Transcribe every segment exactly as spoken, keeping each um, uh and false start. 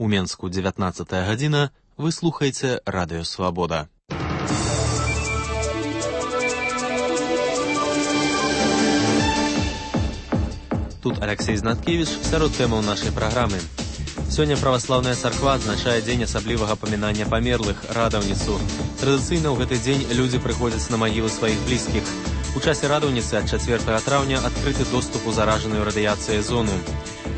У Менску дзевятнаццатая гадзіна. Вы слухаеце Радыё Свабода. Тут Алексей Знаткевич, сярод тэмаў нашай праграмы. Сёння праваслаўная царква адзначае дзень асаблівага памінання памерлых, радаўніцу. Традыцыйна ў гэты дзень людзі прыходзяць на магілы сваіх блізкіх. У часе радаўніцы ад чацвёртага траўня адкрыты доступ у заражаную радыяцыяй зону.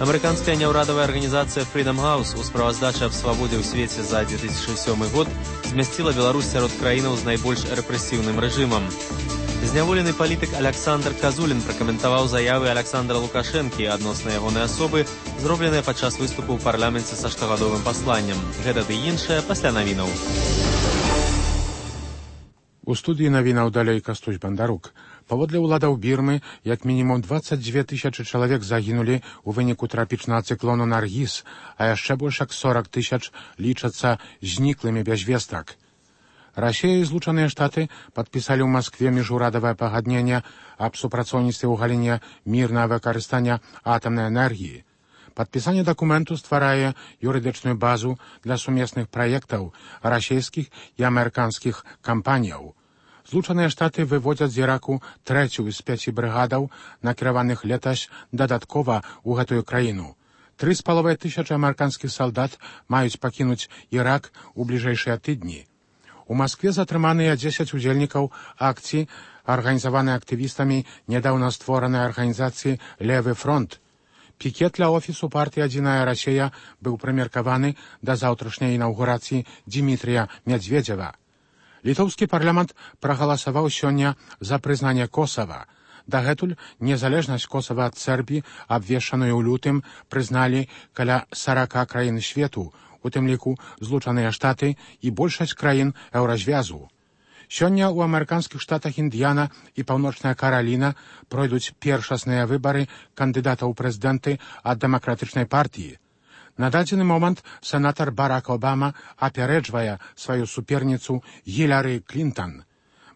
Амерыканская няўрадавая арганізацыя Freedom House у справаздачы аб свабодзе ў свеце за две тысячы сёмы год змясціла Беларусь сярод краінаў з найбольш рэпрэсіўным рэжымам. Зняволены палітык Аляксандр Казулін пракаментаваў заявы Аляксандра Лукашэнкі адносна ягонай асобы, зробленыя падчас выступу ў парламенце са штогадовым пасланнем. Гэта ды іншае пасля навінаў. У студыі навінаў далей Кастусь Бандарук. Паводле ўладаў Бірмы, як мінімум дваццаць дзве тысячы чалавек загінулі ў выніку трапічнага цыклону Наргіз, а яшчэ больш як сорак тысяч лічацца зніклымі без вестак. Расія і Злучаныя Штаты падпісалі ў Маскве міжурадавае пагадненне аб супрацоўніцтве ў галіне мірнага выкарыстання атамнай энергіі. Падпісанне дакументу стварае юрыдычную базу для сумесных праектаў расійскіх і амерыканскіх кампаніяў. Злучаныя Штаты выводзяць з Іраку трэцюю з пяці брыгадаў, накіраваных летась дадаткова ў гэтую краіну. Тры з паловай тысячы амерыканскіх салдат маюць пакінуць Ірак у бліжэйшыя тыдні. У Маскве затрыманыя дзесяць удзельнікаў акцыі, арганізаванай актывістамі нядаўна створанай арганізацыі «Левы фронт». Пікет для офісу партыі «Адзіная Расія» быў прымеркаваны да заўтрашняй інаўгурацыі Дмітрія Медведзева. Літоўскі парламент прагаласаваў сёння за прызнанне Косава. Дагэтуль незалежнасць Косава ад Сербіі, абвешчаную ў лютым, прызналі каля сарака краін свету, у тым ліку Злучаныя Штаты і большасць краін еўразвязу. Сёння ў амерыканскіх штатах Індіяна і Паўночная Караліна пройдуць першасныя выбары кандыдатаў у прэзідэнты ад дэмакратычнай партыі. На дадзены момант сенатар Барак Обама апярэджвае сваю суперніцу Гіляры Клінтон.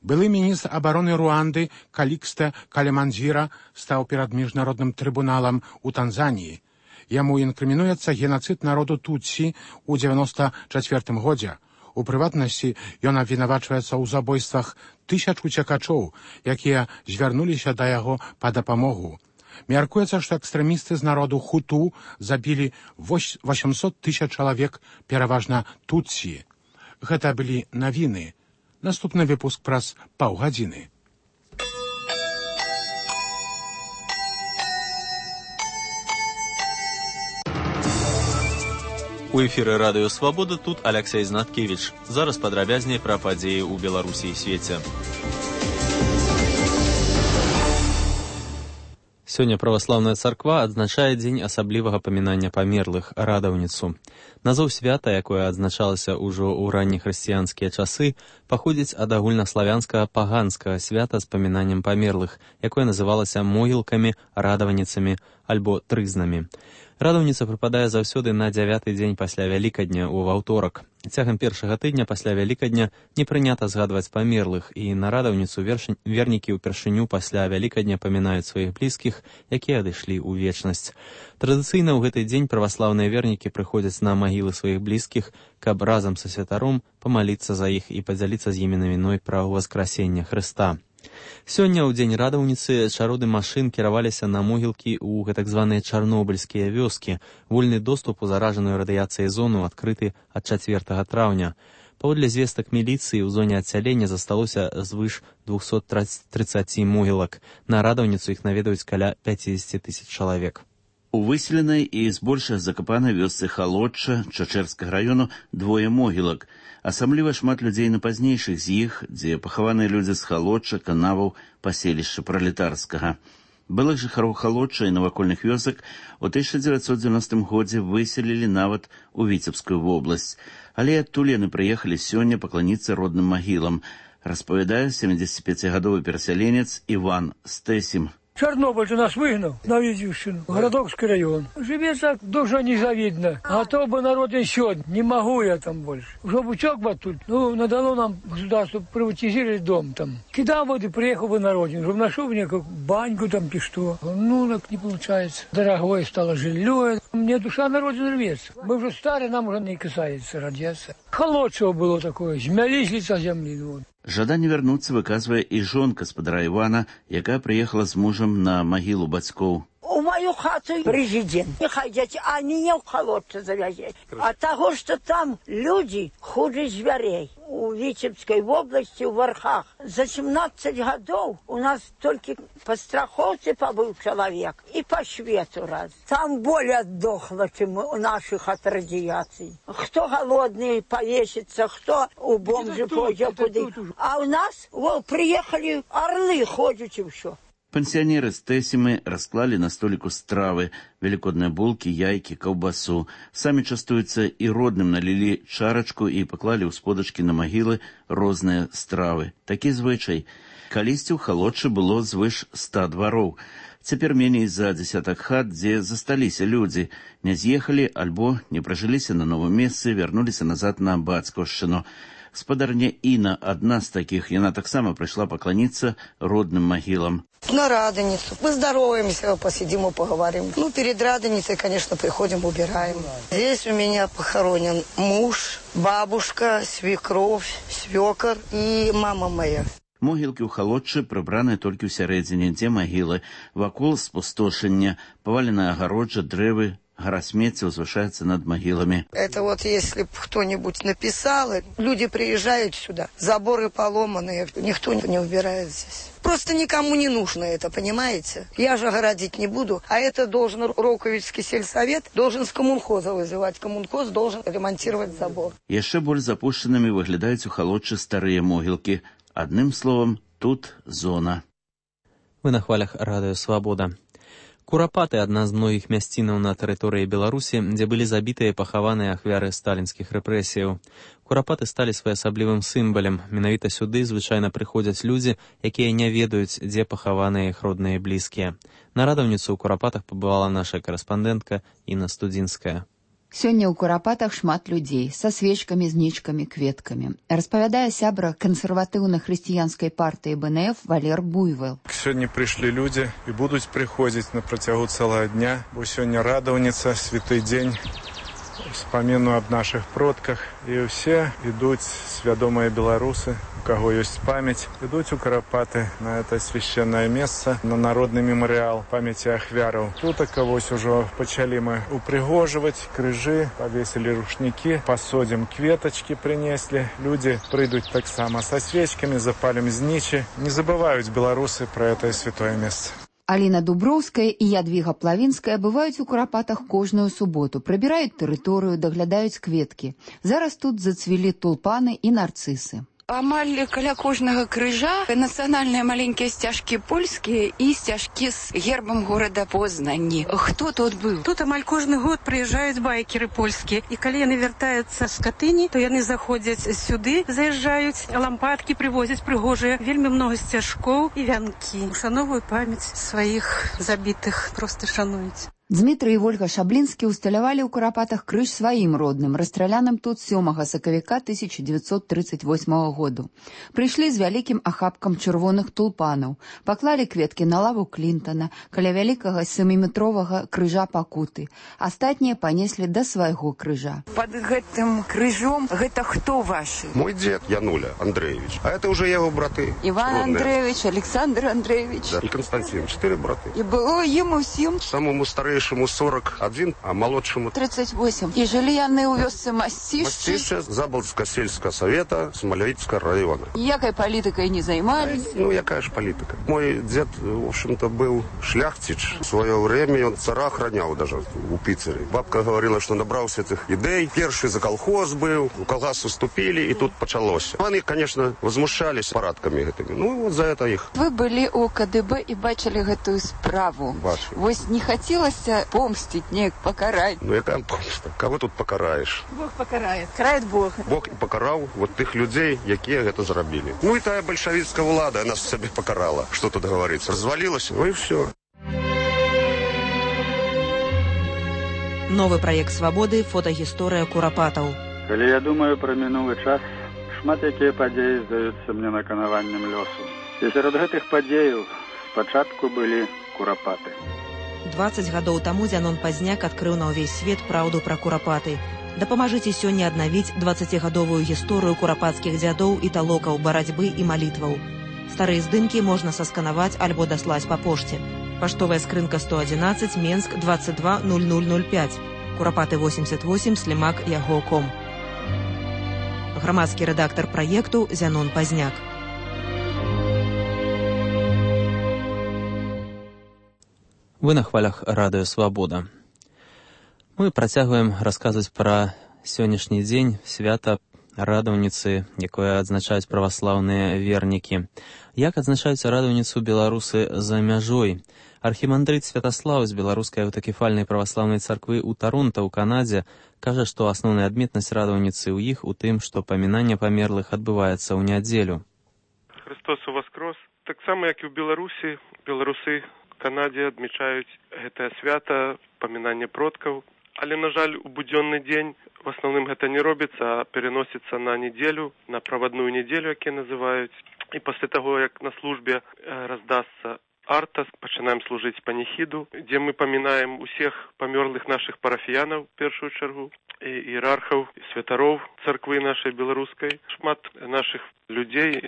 Былы міністр абароны Руанды Калікстэ Калеманзіра стаў перад міжнародным трыбуналам у Танзаніі. Яму інкрымінуецца генацыд народу Тутсі ў дзевяноста чацвёртым годзе. У прыватнасці ён абвінавачваецца ў забойствах тысяч уцекачоў, якія звярнуліся да яго па дапамогу. Мяркуецца, што экстрэмісты з народу Хуту забілі восемьсот тысяч чалавек, пераважна Тутсі. Гэта былі навіны. Наступны выпуск праз паўгадзіны. У эфіры Радыё Свабода тут Алексей Знаткевич. Зараз падрабязней пра падзеі ў Беларусі і свеце. Сёння праваслаўная царква адзначае дзень асаблівага памінання памерлых, радаўніцу. Назоў свята, якое адзначалася ўжо ў раннехрысціянскія часы, паходзіць ад агульнаславянскага паганскага свята з памінаннем памерлых, якое называлася могілкамі, радаваніцамі альбо трызнамі. Радаўніца прыпадае заўсёды на дзявяты дзень пасля Вялікадня ў ваўторак. Цягам першага тыдня пасля Вялікадня не прынята згадваць памерлых, і на радаўніцу вернікі ўпершыню пасля Вялікадня памінаюць сваіх блізкіх, якія адышлі ў вечнасць. Традыцыйна ў гэты дзень праваслаўныя вернікі прыходзяць на магілы сваіх блізкіх, каб разам са святаром памаліцца за іх і падзяліцца з імі навіной пра ўваскрасенне Хрыста. Сёння ў дзень радаўніцы чароды машын кіраваліся на могілкі ў гэтак званыя чарнобыльскія вёскі. Вольны доступ у заражаную радыяцыяй зону адкрыты ад чацвёртага траўня. Паводле звестак міліцыі ў зоне адсялення засталося звыш двухсот трыццаці могілак. На радаўніцу іх наведаюць каля пяцьдзесят тысяч чалавек. У выселенай і збольшага закапанай вёсцы Халодча Чачэрскага раёну двое могілак. Асабліва шмат людзей на пазнейшых з іх, дзе пахаваныя людзі з Халодча, Канаваў, паселішча Пралетарскага. Былых жыхароў Халодча і навакольных вёсак у тысяча дзевяцьсот дзевяностым годзе выселілі нават у Віцебскую вобласць. Але адтуль яны прыехалі сёння пакланіцца родным магілам, распавядае семидзесятипяцігадовы перасяленец Іван Стэсім. Чернобыль же нас выгнал на Везющину, Городокский район. Живет так, душа незавидна. А то бы народ еще, не могу я там больше. Уже бычок бы тут, ну, надало нам государство приватизировать дом там. Кидал вот и приехал бы на родину, чтобы нашел мне как баньку там, и что. Ну, так не получается. Дорогое стало жилье. мне душа народу рвется. Мы уже старые, нам уже не касается радиация. Холодцево было такое, змялись лица земли. Вот. Жаданне вярнуцца выказвае і жонка спадара Івана, якая прыехала з мужам на магілу бацькоў. У мою хату президент. Нехай дзяці, а не в холодце завязать. А того, что там люди хуже зверей. У Витебской области, в Вархах. За семнадцать годов у нас только по страховке побыл человек и по швету раз. Там более отдохло, чем у наших от радиации. Кто голодный повесится, кто у бомжи пойдет куда. А у нас вот, приехали орлы, ходят и все. Пансіянеры з Тэсімы расклалі на століку стравы, велікодныя булкі, яйкі, каўбасу. Самі частуюцца і родным налілі чарачку і паклалі ў сподачкі на магілы розныя стравы. Такі звычай. Калісьці ў Халодчы было звыш ста двароў. Цяпер меней за дзесятак хат, дзе засталіся людзі, не з'ехалі альбо не пражыліся на новым месцы, вярнуліся назад на Бацькаўшчыну. Спадарня Інна, адна з такіх, яна таксама прыйшла пакланіцца родным магілам. На Радоницу. Мы здороваемся, посидим и поговорим. Ну, перед Радоницей, конечно, приходим, убираем. Здесь у меня похоронен муж, бабушка, свекровь, свекор и мама моя. Могілкі ў Халодчы прыбраныя толькі ў сярэдзіне, дзе магілы. Вакол спустошання, паваленая агароджа, дрэвы, гора смецця узвышаецца над магіламі. Это вот если бы кто-нибудь написал, люди приезжают сюда, заборы поломанные, никто не убирает здесь. Просто никому не нужно это, понимаете? Я же огородить не буду, а это должен Роковичский сельсовет, должен с коммунхоза вызывать. Коммунхоз должен ремонтировать забор. Яшчэ больш запушчанымі выглядаюць у Халодчы старыя могілкі. Адным словам, тут зона. Вы на хвалях радыё «Свабода». Курапаты – адна з многіх мясцінаў на тэрыторыі Беларусі, дзе былі забітыя і пахаваныя ахвяры сталінскіх рэпрэсіяў. Курапаты сталі своеасаблівым сімвалем. Менавіта сюды звычайна прыходзяць людзі, якія не ведаюць, дзе пахаваныя іх родныя і блізкія. На радаўніцу ў Курапатах пабывала наша карэспандэнтка Інна Студзінская. Сёння ў Курапатах шмат людзей са свечкамі, знічкамі, кветкамі. Распавядае сябра кансерватыўна-хрысціянскай партыі бэ эн эф Валер Буйвол. Сёння прыйшлі людзі і будуць прыходзіць на працягу цэлага дня, бо сёння радаўніца, святы дзень, успаміну аб нашых продках. І ўсе ідуць свядомыя беларусы, у каго ёсць памяць, ідуць у Курапаты на это священное месца, на народны мемарыял памяці ахвяраў. Тут вось ужо пачалі мы упрыгожваць крыжы, павесілі рушнікі, пасодзім кветачкі прынеслі. Людзі прыйдуць таксама са свечкамі, запалім знічы. Не забываюць беларусы пра это святое месца. Аліна Дуброўская і Ядвіга Плавінская бываюць у Курапатах кожную суботу, прыбіраюць тэрыторыю, даглядаюць кветкі. Зараз тут зацвілі тулпаны і нарцысы. Амаль каля кожнага крыжа нацыянальныя маленькія сцяжкі польскія і сцяжкі з гербам горада Познані. Хто тут быў? Тут амаль кожны год прыязджаюць байкеры польскія. І калі яны вяртаюцца з Катыні, то яны заходзяць сюды, заязджаюць, лампадкі прывозяць прыгожыя, вельмі много сцяжкоў і вянкі. Ушановую памяць сваіх забітых, проста шануюць. Дмітрый і Вольга Шаблінскі усталявалі ў Курапатах крыж сваім родным, расстраляным тут сёмага сакавіка тысяча дзевяцьсот трыццаць восьмага году. Прыйшлі з вялікім ахапкам чырвоных тулпанаў, паклалі кветкі на лаву Клінтана, каля вялікага сяміметровага крыжа Пакуты. Астатнія панеслі да свайго крыжа. Пад гэтым крыжом гэта хто вашы? Мой дзед Януля Андреевич, а это уже яго браты. Іван Андреевич, Александр Андреевич. Да, и Константин, четыре браты. І было ім усім? Самому старейшему сорок один, а молодшему тридцать восемь. И жили яны у вёсцы Мастишчы. Мастишчы, Заболтского сельского совета, Смолевицкого района. Якой политикой не занимались? Ну, якая ж политика. Мой дед, в общем-то, был шляхтич. В свое время он цара охранял даже у Пиццере. Бабка говорила, что набрался этих идей. Первый за колхоз был, у колхоз уступили, и тут началось. Они, конечно, возмущались парадками этими. Ну, вот за это их. Вы были у ка дэ бэ и бачили эту справу. Бачили. Вось не хотелось помстить, не покарать. Ну, яка помста? Кого тут покараешь? Бог покарает. Карает Бог. Бог і покарав вот тих людей, які гэта зрабілі. Ну і тая большевистская влада нас себе покарала. Что тут говорится? Развалилась, ну и все. Новы праект «Свабоды» – фотагісторыя Курапатаў. Калі я думаю пра мінулы час, шмат якія падзеі здаюцца мне наканаваннем лёсу. І сярод гэтых падзеяў спачатку былі Курапаты. дваццаць гадоў таму Зянон Пазняк адкрыў на ўвесь свет праўду пра курапаты. Дапамажыце сёння аднавіць дваццацігадовую гісторыю курапацкіх дзядоў і талокаў барацьбы і малітваў. Старыя здымкі можна сасканаваць альбо даслаць па пошце. Паштовая скрынка сто адзінаццаць, Менск, двадцать два ноль ноль ноль пять, Курапаты восемьдесят восемь, слімак яго ком. Грамадскі рэдактар праекту Зянон Пазняк. Вы на хвалях радыё «Свабода». Мы працягваем расказваць пра сённяшні дзень свята радаўніцы, якое адзначаюць праваслаўныя вернікі. Як адзначаюць радаўніцу беларусы за мяжой? Архімандрыт Святаслаў з беларускай аўтакефальнай праваслаўнай царквы ў Таронта ў Канадзе кажа, што асноўная адметнасць радаўніцы ў іх у тым, што памінанне памерлых адбываецца ў нядзелю. Христос уваскрос. Таксама, як і ў Беларусі, беларусы Канадзе адмічаюць гэтае свята, памінанне продкаў. Але, на жаль, у будзённы дзень в асноўным гэта не робіцца, а переносіцца на нядзелю, на правадную нядзелю, якія называюць. І пасля таго, як на службе раздасца арта, пачынаем служыць паніхіду, дзе мы памінаем усіх памёрлых нашых парафіянаў, в першую чаргу, і іерархаў, і святароў царквы нашай беларускай. Шмат нашых людзей,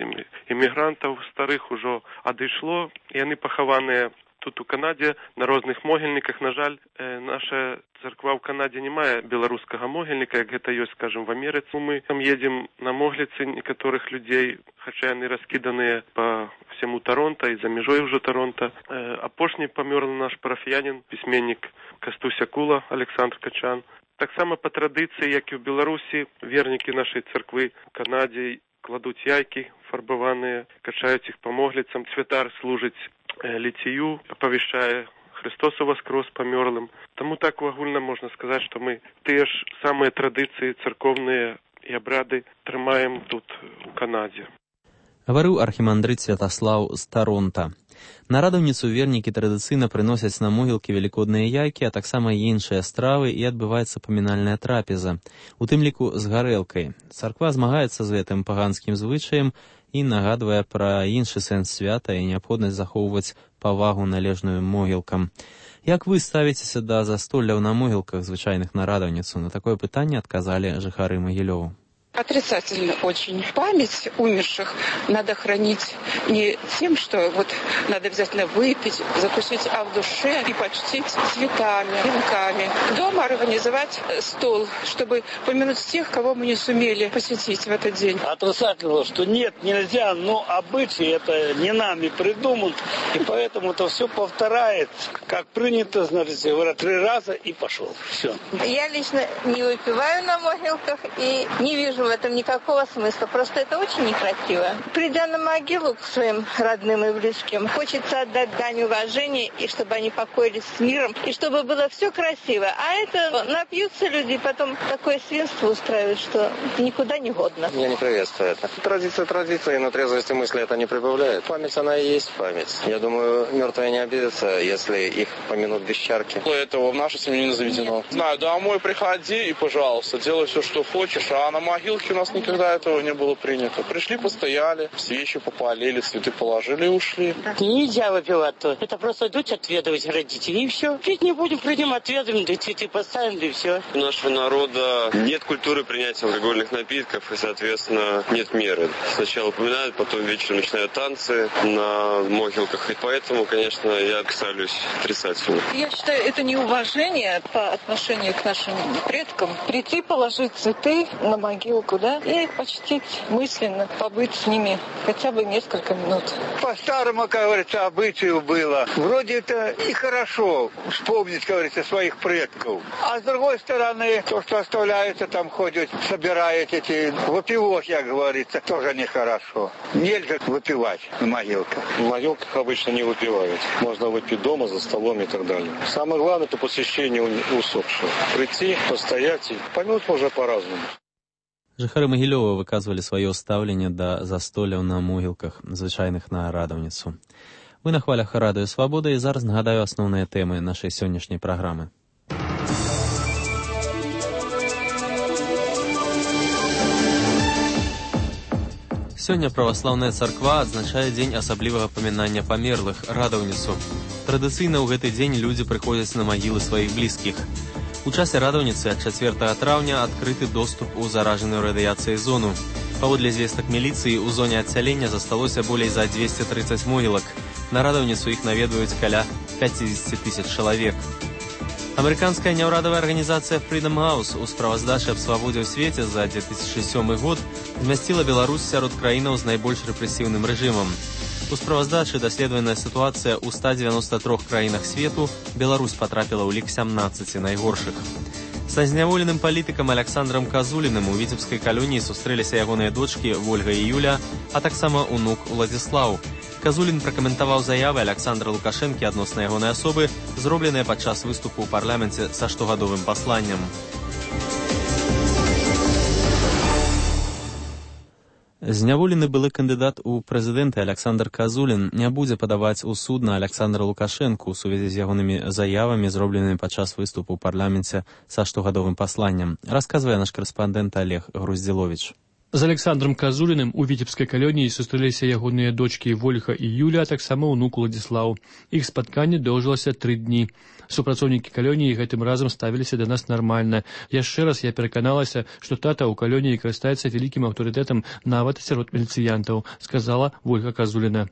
эмігрантаў старых ужо адышло, і яны пахаваныя тут у Канадзе на розных могільніках. На жаль, наша царква ў Канадзе не мае беларускага могільніка, як гэта ёсць, скажем, в Амерыцы. Мы там едзем на могліцы некаторых людзей, хаця яны раскіданыя па всяму Таронта і за мяжой ўжо Таронта. Апошні памёрлы наш парафіянін, пісьменнік Кастуся Кула, Александр Качан. Таксама па традыцыі, як і ў Беларусі, вернікі нашай царквы ў Канадзе кладуць яйкі фарбаваныя, качаюць іх па могліцам. Святар служыць ліцію, апавяшчае Христос уваскрос памёрлым. Таму так агульна можна сказаць, што мы тыя ж самыя традыцыі царкоўныя і абрады трымаем тут у Канадзе. Гаварыў архімандрыт Святаслаў з Таронта. На радаўніцу вернікі традыцыйна прыносяць на могілкі велікодныя яйкі, а таксама іншыя стравы, і адбываецца памінальная трапеза, у тым ліку з гарэлкай. Царква змагаецца з гэтым паганскім звычаем і нагадвае пра іншы сэнс свята і неабходнасць захоўваць павагу належную могілкам. Як вы ставіцеся да застолляў на могілках звычайных на радаўніцу? На такое пытанне адказалі жыхары Магілёва. Отрицательно очень. Память умерших надо хранить не тем, что вот надо обязательно выпить, закусить, а в душе и почтить цветами, венками. Дома организовать стол, чтобы помянуть тех, кого мы не сумели посетить в этот день. Отрицательно, что нет, нельзя, но обычаи это не нами придуман, и поэтому это все повторяется. Как принято, знаете, говорят, три раза и пошел. Все. Я лично не выпиваю на могилках и не вижу в этом никакого смысла. Просто это очень некрасиво. Придя на могилу к своим родным и близким, хочется отдать дань уважения, и чтобы они покоились с миром, и чтобы было все красиво. А это напьются люди, потом такое свинство устраивают, что никуда не годно. Я не приветствую это. Традиция традиция, но трезвости мысли это не прибавляет. Память, она и есть память. Я думаю, мертвые не обидятся, если их помянут без чарки. Этого в нашей семье не заведено. Знаю, домой приходи и, пожалуйста, делай все, что хочешь, а на могилке у нас никогда этого не было принято. Пришли, постояли, свечи попалили, цветы положили и ушли. Нельзя выпивать-то. Это просто дочь отведывать родителей, и все. Пить не будем, придем, отведаем, да цветы поставим, да и все. У нашего народа нет культуры принятия алкогольных напитков, и, соответственно, нет меры. Сначала упоминают, потом вечером начинают танцы на могилках, и поэтому, конечно, я ставлюсь отрицательно. Я считаю, это неуважение по отношению к нашим предкам. Прийти, положить цветы на могилку, да, и почтить мысленно, побыть с ними хотя бы несколько минут. По-старому, как говорится, обычаю было. Вроде это и хорошо вспомнить, как говорится, своих предков. А с другой стороны, то, что оставляется, там ходят, собирают эти выпивок, как говорится, тоже нехорошо. Нельзя выпивать на могилках. На могилках обычно не выпивают. Можно выпить дома, за столом и так далее. Самое главное, это посещение усопшего. Прийти, постоять, и помянуть можно по-разному. Жыхары Магілёва выказвалі сваё стаўленне да застолляў на могілках, звычайных на радаўніцу. Вы на хвалях радыё «Свабода», і зараз нагадаю асноўныя тэмы нашай сённяшняй праграмы. Сёння праваслаўная царква адзначае дзень асаблівага памінання памерлых, радаўніцу. Традыцыйна ў гэты дзень людзі прыходзяць на магілы сваіх блізкіх. У часе радаўніцы ад чацвёртага траўня адкрыты доступ у заражаную радыяцыяй зону. Паводле звестак міліцыі, у зоне адсялення засталося болей за дзвесце трыццаць могілак. На радаўніцу іх наведваюць каля пяцьдзесят тысяч чалавек. Амерыканская няўрадавая арганізацыя Freedom House у справаздачы аб свабодзе ў свеце за две тысячы сёмы год змясціла Беларусь сярод краінаў з найбольш рэпрэсіўным рэжымам. У справаздачы даследаваная сітуацыя ў ста дзевяноста трох краінах свету, Беларусь патрапіла ў лік сямнаццаці найгоршых. Са зняволеным палітыкам Александрам Казуліным у віцебскай калоніі сустрэліся ягоныя дочкі Вольга і Юля, а таксама унук Уладзіслаў. Казулін пракаментаваў заявы Александра Лукашэнкі адносна ягонай асобы, зробленыя падчас выступу ў парламенце са штогадовым пасланнем. Зняволены былы кандыдат у прэзідэнты Александр Казулін не будзе падаваць у суд на Александра Лукашэнку ў сувязі з ягонымі заявамі, зробленымі падчас выступу ў парламенце са штогадовым пасланнем, расказвае наш карэспандэнт Олег Груздзіловіч. З Александром Казуліным у віцебскай калоніі сустрэліся ягоныя дочкі Вольга і Юля, а таксама ўнук Уладзіслаў. Іх спатканне доўжылася тры дні. Супрацоўнікі калоніі гэтым разам ставіліся да нас нармальна. Яшчэ раз я пераканалася, што тата ў калоніі карыстаецца вялікім аўтарытэтам нават сярод міліцыянтаў, сказала Вольга Казуліна.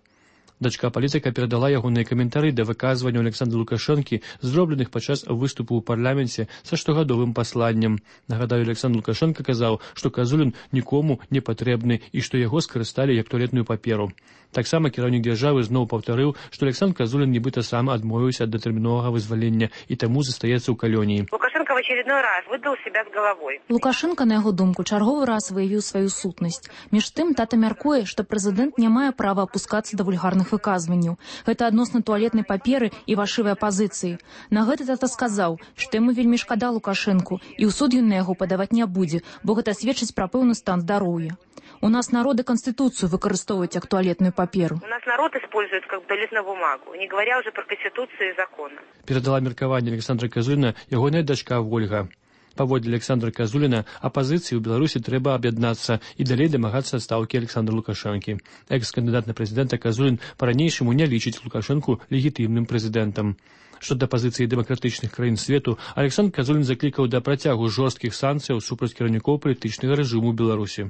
Дачка палітыка перадала ягоныя каментары да выказванняў Александра Лукашэнкі, зробленых падчас выступу ў парламенце са штогадовым пасланнем. Нагадаю, Александр Лукашэнка казаў, што Казулін нікому не патрэбны і што яго скарысталі як туалетную паперу. Таксама кіраўнік дзяржавы зноў паўтарыў, што Александр Казулін нібыта сам адмовіўся ад датэрміновага вызвалення і таму застаецца ў калоніі. Лукашенко в очередной раз выдал себя с головой. Лукашенко, на яго думку, чарговы раз выявіў сваю сутнасць. Між тым, тата мяркуе, што прэзідэнт не мае права апускацца да вульгарных выказванняў. Гэта адносна туалетнай паперы і вашывай апазіцыі. На гэта тата сказаў, што яму вельмі шкада Лукашэнку, і ў суд ён на яго падаваць не будзе, бо гэта сведчыць пра пэўны стан здароўя. У нас народы Конституцию выкарыстоўваюць як туалетную паперу. У нас народ использует как туалетную бумагу, не говоря уже про Конституцию и законы. Передала меркаванне Александра Казуліна ягоная дачка Вольга. Паводле Александра Казуліна, апазіцыі ў Беларусі трэба аб'яднацца і далей дамагацца адстаўкі Александра Лукашэнкі. Экс-кандыдат на прэзідэнта Казулін па-ранейшаму не лічыць Лукашэнку легітымным прэзідэнтам. Што да пазіцыі дэмакратычных краін свету, Александр Казулін заклікаў да працягу жорсткіх санкцыяў супраць кіраўнікоў палітычнага рэжыму ў Беларусі.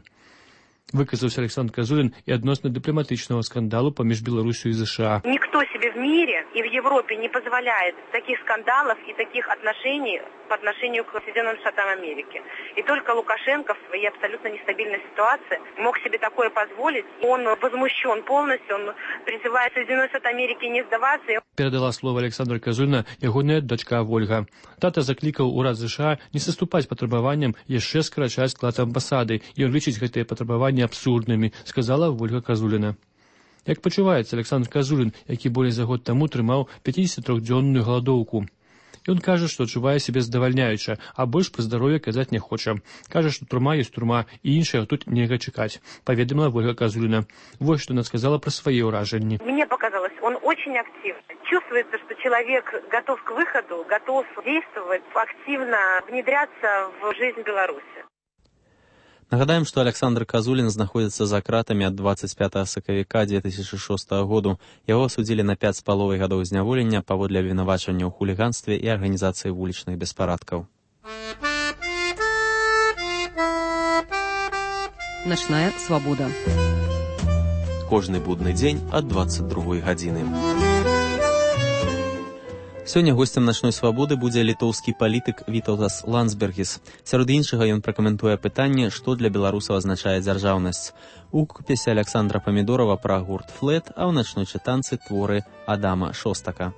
Выказаўся Александр Казулін і адносна дыпламатычнага скандалу паміж Беларусью и США. Никто себе в мире и в Европе не позволяет таких скандалов и таких отношений по отношению к Соединенным Штатам Америки. И только Лукашенко в своей абсолютно нестабильной ситуации мог себе такое позволить. Он возмущен полностью, он призывает Соединенные Штаты Америки не сдаваться. Передала слово Александра Казуліна ягоная дачка Вольга. Тата заклікаў урад США не саступаць патрабаванням яшчэ скарачаць склад амбасады, і ён лічыць гэтыя патрабаванні абсурднымі, сказала Вольга Казуліна. Як пачуваецца Александр Казулін, які болей за год таму трымаў пяцідзесятитрохдзённую галадоўку? Ён кажа, што адчувае сябе здавальняюча, а больш пра здароўе казаць не хоча. Кажа, што турма ёсць турма, і іншага тут нельга чакаць, паведаміла Вольга Казуліна. Вось што она сказала пра свае ўражанні. Мне показалось, он очень активный. Чувствуется, что человек готов к выходу, готов действовать, активно внедряться в жизнь Беларуси. Нагадаем, што Александр Казулін знаходзіцца за кратамі ад дваццаць пятага сакавіка две тысячы шостага году. Яго асудзілі на пяць з паловай гадоў зняволення паводле абвінавачання ў хуліганстве і арганізацыі вулічных беспарадкаў. Начная свабода. Кожны будны дзень ад дваццаць другой гадзіны. Сёння госцем начной свабоды будзе літоўскі палітык Вітаўтас Ландсбергіс. Сярод іншага ён пракаментуе пытанне, што для беларусаў азначае дзяржаўнасць. У рукапісе Александра Памідорова пра гурт Флэт, а ў начной чытанцы творы Адама Шостака.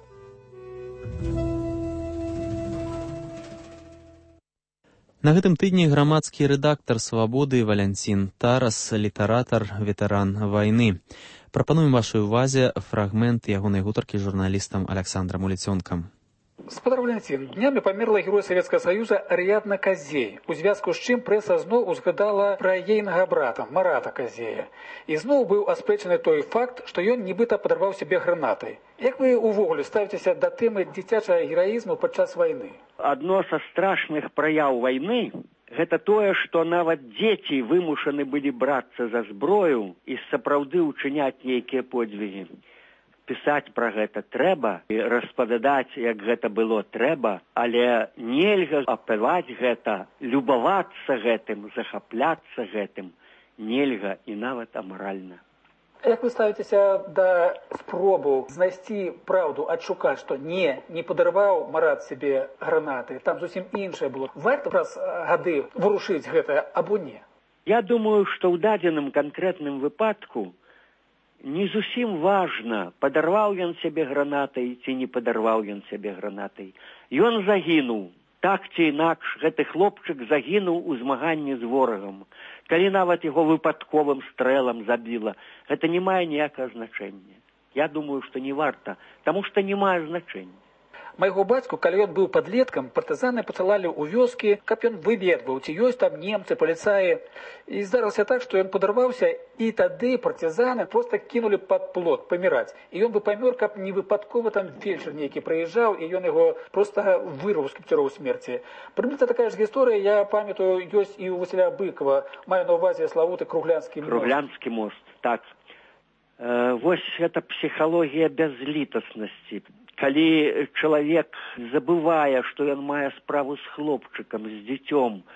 На гэтым тыдні грамадскі рэдактар «Свабоды» Валянцін Тарас, літаратар, ветэран вайны. Прапануем вашай увазе фрагмент ягонай гутаркі з журналістам Александром Уліцёнкам. Спадар Валянцін, днямі памерла герой Савецкага Саюза Арыядна Казей, у звязку з чым прэса зноў узгадала пра ейнага брата Марата Казея. І зноў быў аспрэчаны той факт, што ён нібыта падарваў сябе гранатай. Як вы увогуле ставіцеся да тэмы дзіцячага гераізму падчас вайны? Адно са страшных праяў вайны гэта тое, што нават дзеці вымушаны былі брацца за зброю і сапраўды ўчыняць нейкія подзвігі. пісаць пра гэта трэба, і распавядаць, як гэта было, трэба, але нельга апаваць гэта, любавацца гэтым, захапляцца гэтым, нельга і нават амаральна. Як вы ставіцеся да спробу знайсці праўду, адшукаць, што не, не падарваў Марат сябе гранаты, там зусім іншае было. Варта праз гады вырушыць гэта, або не? Я думаю, што ў дадзеным канкрэтным выпадку не зусім важна, падарваў ён сябе гранатай ці не падарваў ён сябе гранатай. Ён загінуў. Так ці інакш, гэты хлопчык загінуў у змаганні з ворагам. Калі нават яго выпадковым стрэлам забіла, гэта не мае ніякага значэння. Я думаю, што не варта, таму што не мае значэння. Майго бацьку, калі ён быў падлеткам, партызаны пасылалі ў вёскі, каб ён выведваў, ці ёсць там немцы, паліцаі. І здарылася так, што ён падарваўся, і тады партызаны проста кінулі пад плот паміраць. І ён бы памёр, каб не выпадкова там фельчар нейкі прыязджаў, і ён яго проста вырваў з кіпцюроў смерці. Прымерна такая ж гісторыя, я памятаю, ёсць і ў Васіля Быкова. Маю на ўвазе славуты Круглянскі мост. Круглянскі мост, так. Э, вось гэта псіхалогія бязлітаснасці. Калі чалавек забывае, што ён мае справу з хлопчыкам, з дзіцём,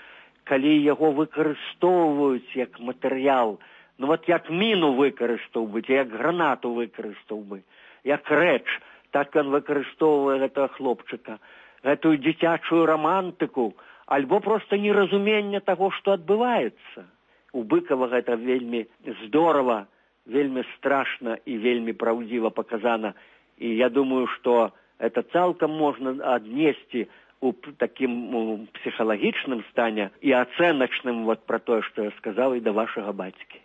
калі яго выкарыстоўваюць як матэрыял, ну вот як міну выкарыстоўваюць, як гранату выкарыстоўваюць, як рэч, так ён выкарыстоўвае гэтага хлопчыка, гэтую дзіцячую рамантыку, альбо проста неразуменне таго, што адбываецца. У Быкова гэта вельмі здорава, вельмі страшна і вельмі праўдзіва паказана. І я думаю, што это цалкам можна аднесці у такім псіхалагічным стане і ацэначным вот пра тое, што я сказаў, і да вашага бацькі.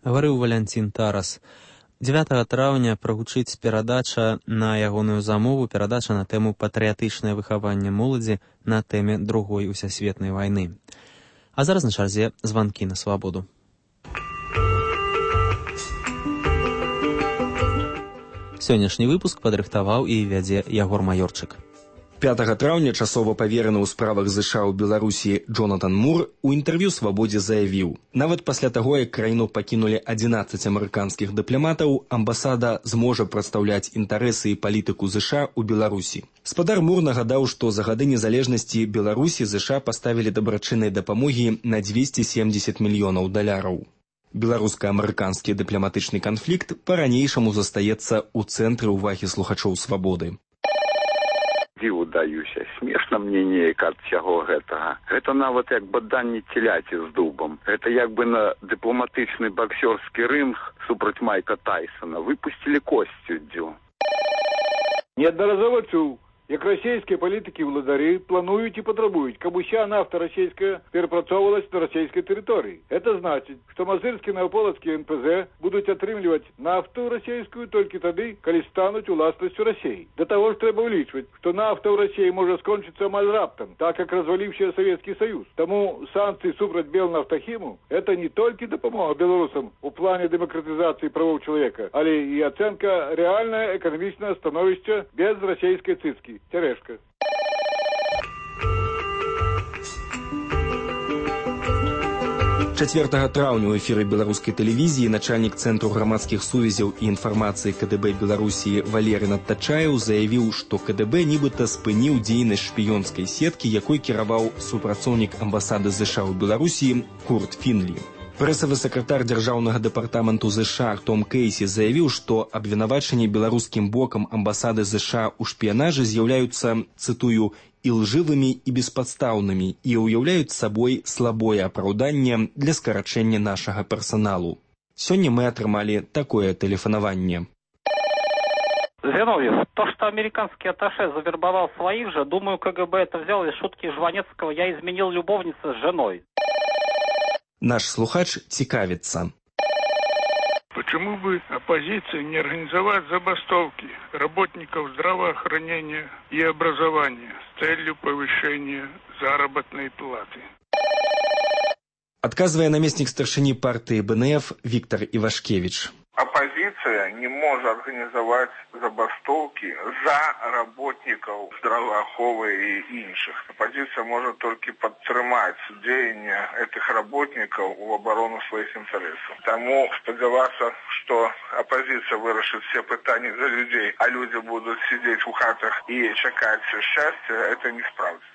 Гаварыў Валянцін Тарас. дзевятага траўня прагучыць перадача на ягоную замову, перадача на тэму патрыятычнае выхаванне моладзі на тэме другой усесветнай вайны. А зараз на чарзе званкі на свабоду. Сённяшні выпуск падрыхтаваў і вядзе Ягор Маёрчык. пятага траўня часова павераны ў справах ЗША ў Беларусі Джонатан Мур у інтэрв'ю «Свабодзе» заявіў: нават пасля таго, як краіну пакінулі адзінаццаць амерыканскіх дыпламатаў, амбасада зможа прадстаўляць інтарэсы і палітыку ЗША ў Беларусі. Спадар Мур нагадаў, што за гады незалежнасці Беларусі ЗША паставілі дабрачыннай дапамогі на дзвесце семдзесят мільёнаў даляраў. Беларуска-амерыканскі дыпламатычны канфлікт па-ранейшаму застаецца ў цэнтры ўвагі слухачоў «Свабоды». Дзіву даюся, смешна мне неяк ад всяго гэтага. Гэта нават як баданне теляці з дубам. Гэта як бы на дыпламатычны баксёрскі рынг супраць Майка Тайсона выпусцілі косцю. Неаднаразова чуў, як расійскія палітыкі-владары плануюць і патрабуюць, каб уся нафта расійская перапрацоўвалась на расійскай тэрыторыі. Это значыць, што мазырскі наваполацкія эн пэ зэ будуць атрымліваць нафту расійскую толькі тады, калі стануць уласнасцю Расіі. Да таго ж трэба ўлічваць, што нафта ў Расіі можа скончыцца амаль раптам, так як разваліўся Савецкі Саюз. Таму санкцыі супраць Белнафтахіму – это не толькі дапамога беларусам у плане дэмакратызацыі правоў чалавека, але і ацэнка рэальнае эканамічнае становішча без расійскай цыцкі. Терешка. чацвёртага траўня ў эфіры беларускай тэлевізіі начальнік цэнтру грамадскіх сувязяў і інфармацыі ка дэ бэ Беларусі Валерый Надтачаеў заявіў, што ка дэ бэ нібыта спыніў дзейнасць шпіёнскай сеткі, якой кіраваў супрацоўнік амбасады ЗША ў Беларусі Курт Фінлі. Прэсавы сакратар дзяржаўнага дэпартаменту ЗША Том Кейсі заявіў, што абвінавачанні беларускім бокам амбасады ЗША ў шпіянажы з'яўляюцца, цытую, ілжывымі і беспадстаўнымі і ўяўляюць сабой слабое апраўданне для скарачэння нашага персаналу. Сёння мы атрымалі такое тэлефанаванне. Зиновьев, то, что американский атташе завербовал своих же, думаю, ка гэ бэ это взял из шутки Жванецкого «я изменил любовнице с женой». Наш слухач цікавіцца. Почему бы оппозиции не организовать забастовки работников здравоохранения и образования с целью повышения заработной платы? Адказвае намеснік старшыні партыі бэ эн эф Віктор Івашкевіч. Оппозиция оппозиция не может организовать забастовки за работников здравооховы и інших. Оппозиция может только подтримать деяния этих работников в оборону своих интересов. Тому сподеваться, что оппозиция вырашит все питания за людей, а люди будут сидеть в хатах и чекать счастья, это не справится.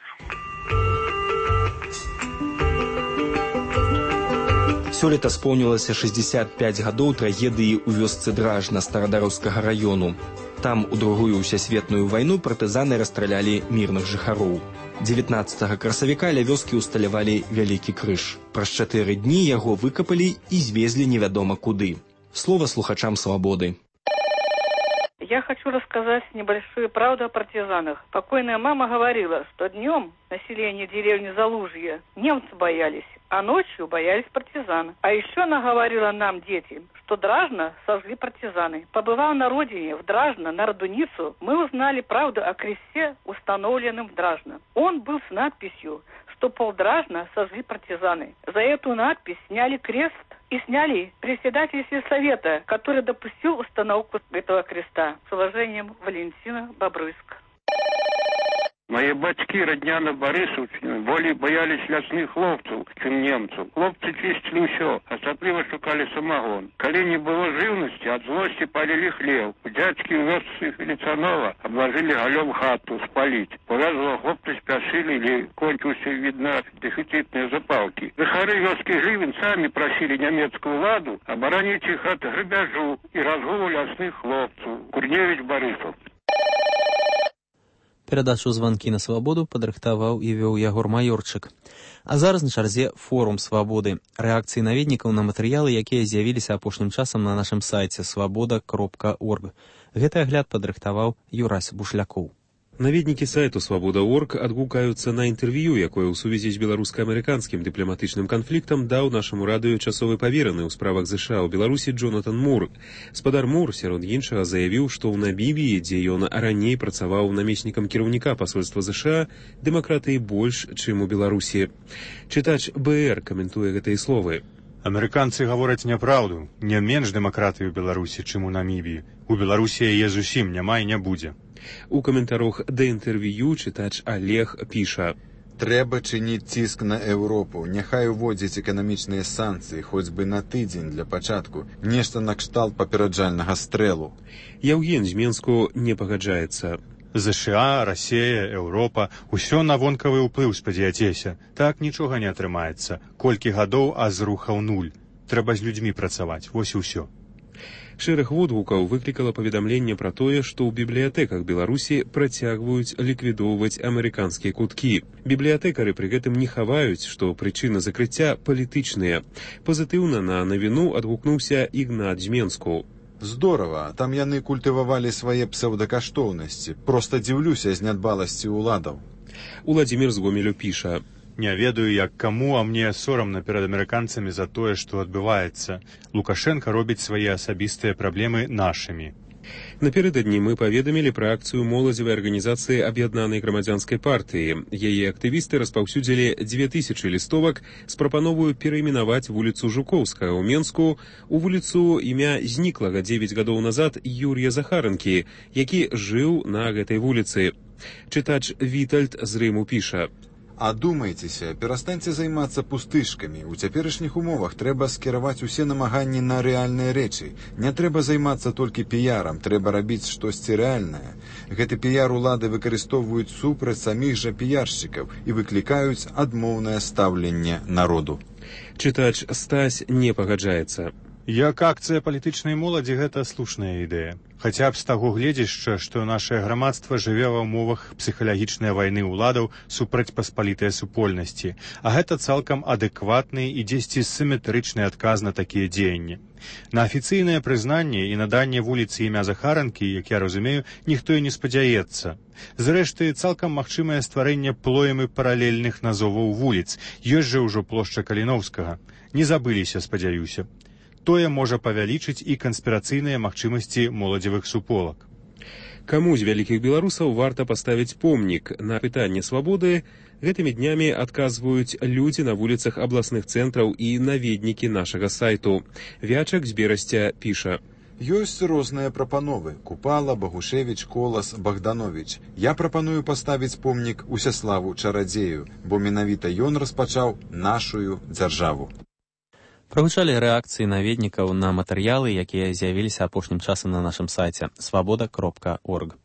Сёлета споўнілася шэсцьдзесят пяць гадоў трагедыі ў вёсцы Дражна Старадараўскага раёну. Там у другую ўсясветную вайну партызаны расстралялі мірных жыхароў. дзевятнаццатага красавіка ля вёскі ўсталявалі вялікі крыж. Праз чатыры дні яго выкапалі і звезлі невядома куды. Слова слухачам «Свободы». Я хочу рассказать небольшую правду о партизанах. Покойная мама говорила, что днем население деревни Залужье немцы боялись, а ночью боялись партизан. А еще она говорила нам, детям, что Дражно сожгли партизаны. Побывав на родине, в Дражно, на Радуницу, мы узнали правду о кресте, установленном в Дражно. Он был с надписью, что полдражна сожгли партизаны. За эту надпись сняли крест и сняли председателя совета, который допустил установку этого креста. С уважением, Валентина, Бобруйск. Мои бацькі, родня на Барысаўшчыне, болей баяліся лясных хлопцаў, чым немцаў. Хлопцы чысцілі ўсё, асабліва шукалі самагон. Калі не было жыўнасці, ад злосці палілі хлеў. Дзядзькі ў вёсцы Феліцанова аблажылі галём хату спаліць. Повязла хлопцы спяшылі или кончился, видно, дефицитные запалки. Жыхары вёскі Жывін самі прасілі нямецкую ладу абараніць іх ад грабяжу і разгулу лясных хлопцаў. Курневіч, Барысаў. Перадачу «Званкі на свабоду» падрыхтаваў і вёў Ягор Маёрчык. А зараз на чарзе форум «Свабоды». Рэакцыі наведнікаў на матэрыялы, якія з'явіліся апошнім часам на нашым сайце свабода кропка орг. Гэты агляд падрыхтаваў Юрась Бушлякоў. Наведнікі сайту «Свабода точка орг» адгукаюцца на інтэрв'ю, якое ў сувязі з беларуска-амерыканскім дыпламатычным канфліктам даў нашаму радыё часовы павераны ў справах ЗША ў Беларусі Джонатан Мур. Спадар Мур, сярод іншага, заявіў, што ў Намібіі, дзе ён раней працаваў намеснікам кіраўніка пасольства ЗША, дэмакратыі больш, чым у Беларусі. Чытач БР каментуе гэтыя словы. Амерыканцы гавораць няпраўду. Не менш дэмакратыі ў Беларусі, чым у Намібіі. У Беларусі яе зусім няма і не будзе. У каментарах да інтэрв'ю чытач Олег піша: «Трэба чыніць ціск на Еўропу. Няхай уводзіць эканамічныя санкцыі, хоць бы на тыдзень для пачатку. Нешта накшталт папераджальнага стрэлу». Яўген з Менску не пагаджаецца. ЗША, Расія, Еўропа – усё на вонкавы ўплыў спадзяцеся. Так нічога не атрымаецца. Колькі гадоў, а зрухаў нуль. Трэба з людзьмі працаваць. Вось і ўсё. Шэраг водгукаў выклікала паведамленне пра тое, што ў бібліятэках Беларусі працягваюць ліквідоўваць амерыканскія куткі. Бібліятэкары пры гэтым не хаваюць, што прычыны закрыцця палітычныя. Пазітыўна на навіну адгукнуўся Ігнат з Менску. Здорава, там яны культывавалі свае псеўдакаштоўнасці. Проста дзіўлюся з нядбаласці ўладаў. Уладзімір з Гомелю піша: «Не ведаю, як каму, а мне сорамна перад амерыканцамі за тое, што адбываецца. Лукашенко робіць свае асабістыя праблемы нашымі». Напердадні мы паведамілі пра акцыю моладзевай арганізацыі аб'яднанай грамадзянскай партыі. Яе актывісты распаўсюдзілі дзве тысячы лістовак з прапановаю перайменаваць вуліцу Жукоўскага ў Менску у вуліцу імя зніклага дзевяць гадоў назад Юрія Захаранкі, які жыў на гэтай вуліцы. Чытач Вітальд з Рыму піша: «Адумайцеся, перастаньце займацца пустышкамі. У цяперашніх умовах трэба скіраваць усе намаганні на рэальныя рэчы. Не трэба займацца толькі піярам, трэба рабіць штосьці рэальнае. Гэты піяр улады выкарыстоўваюць супраць саміх жа піяршчыкаў і выклікаюць адмоўнае стаўленне народу». Чытач Стась не пагаджаецца. Як акцыя палітычнай моладзі гэта слушная ідэя. Хаця б з таго гледзяшча, што нашае грамадства жыве ва ўмовах псіхалагічнай вайны ўладаў супраць паспалітай супольнасці, а гэта цалкам адэкватны і дзесьці сіметрычны адказ на такія дзеянні. На афіцыйнае прызнанне і наданне вуліцы імя Захаранкі, як я разумею, ніхто і не спадзяецца. Зрэшты, цалкам магчымае стварэнне плоемы паралельных назоваў вуліц. Ёсць жа ўжо плошча Каліноўскага. Не забыліся, спадзяюся. Тое можа павялічыць і канспірацыйныя магчымасці моладзевых суполак. Каму з вялікіх беларусаў варта паставіць помнік? На пытанне свабоды гэтымі днямі адказваюць людзі на вуліцах абласных цэнтраў і наведнікі нашага сайту. Вячак з Берасця піша: Ёсць розныя прапановы: Купала, Багушевіч, Колас, Богданович. Я прапаную паставіць помнік Усяславу Чарадзею, бо менавіта ён распачаў нашую дзяржаву. Прагучалі рэакцыі наведнікаў на матэрыялы, якія з'явіліся апошнім часам на нашым сайце свабода кропка орг.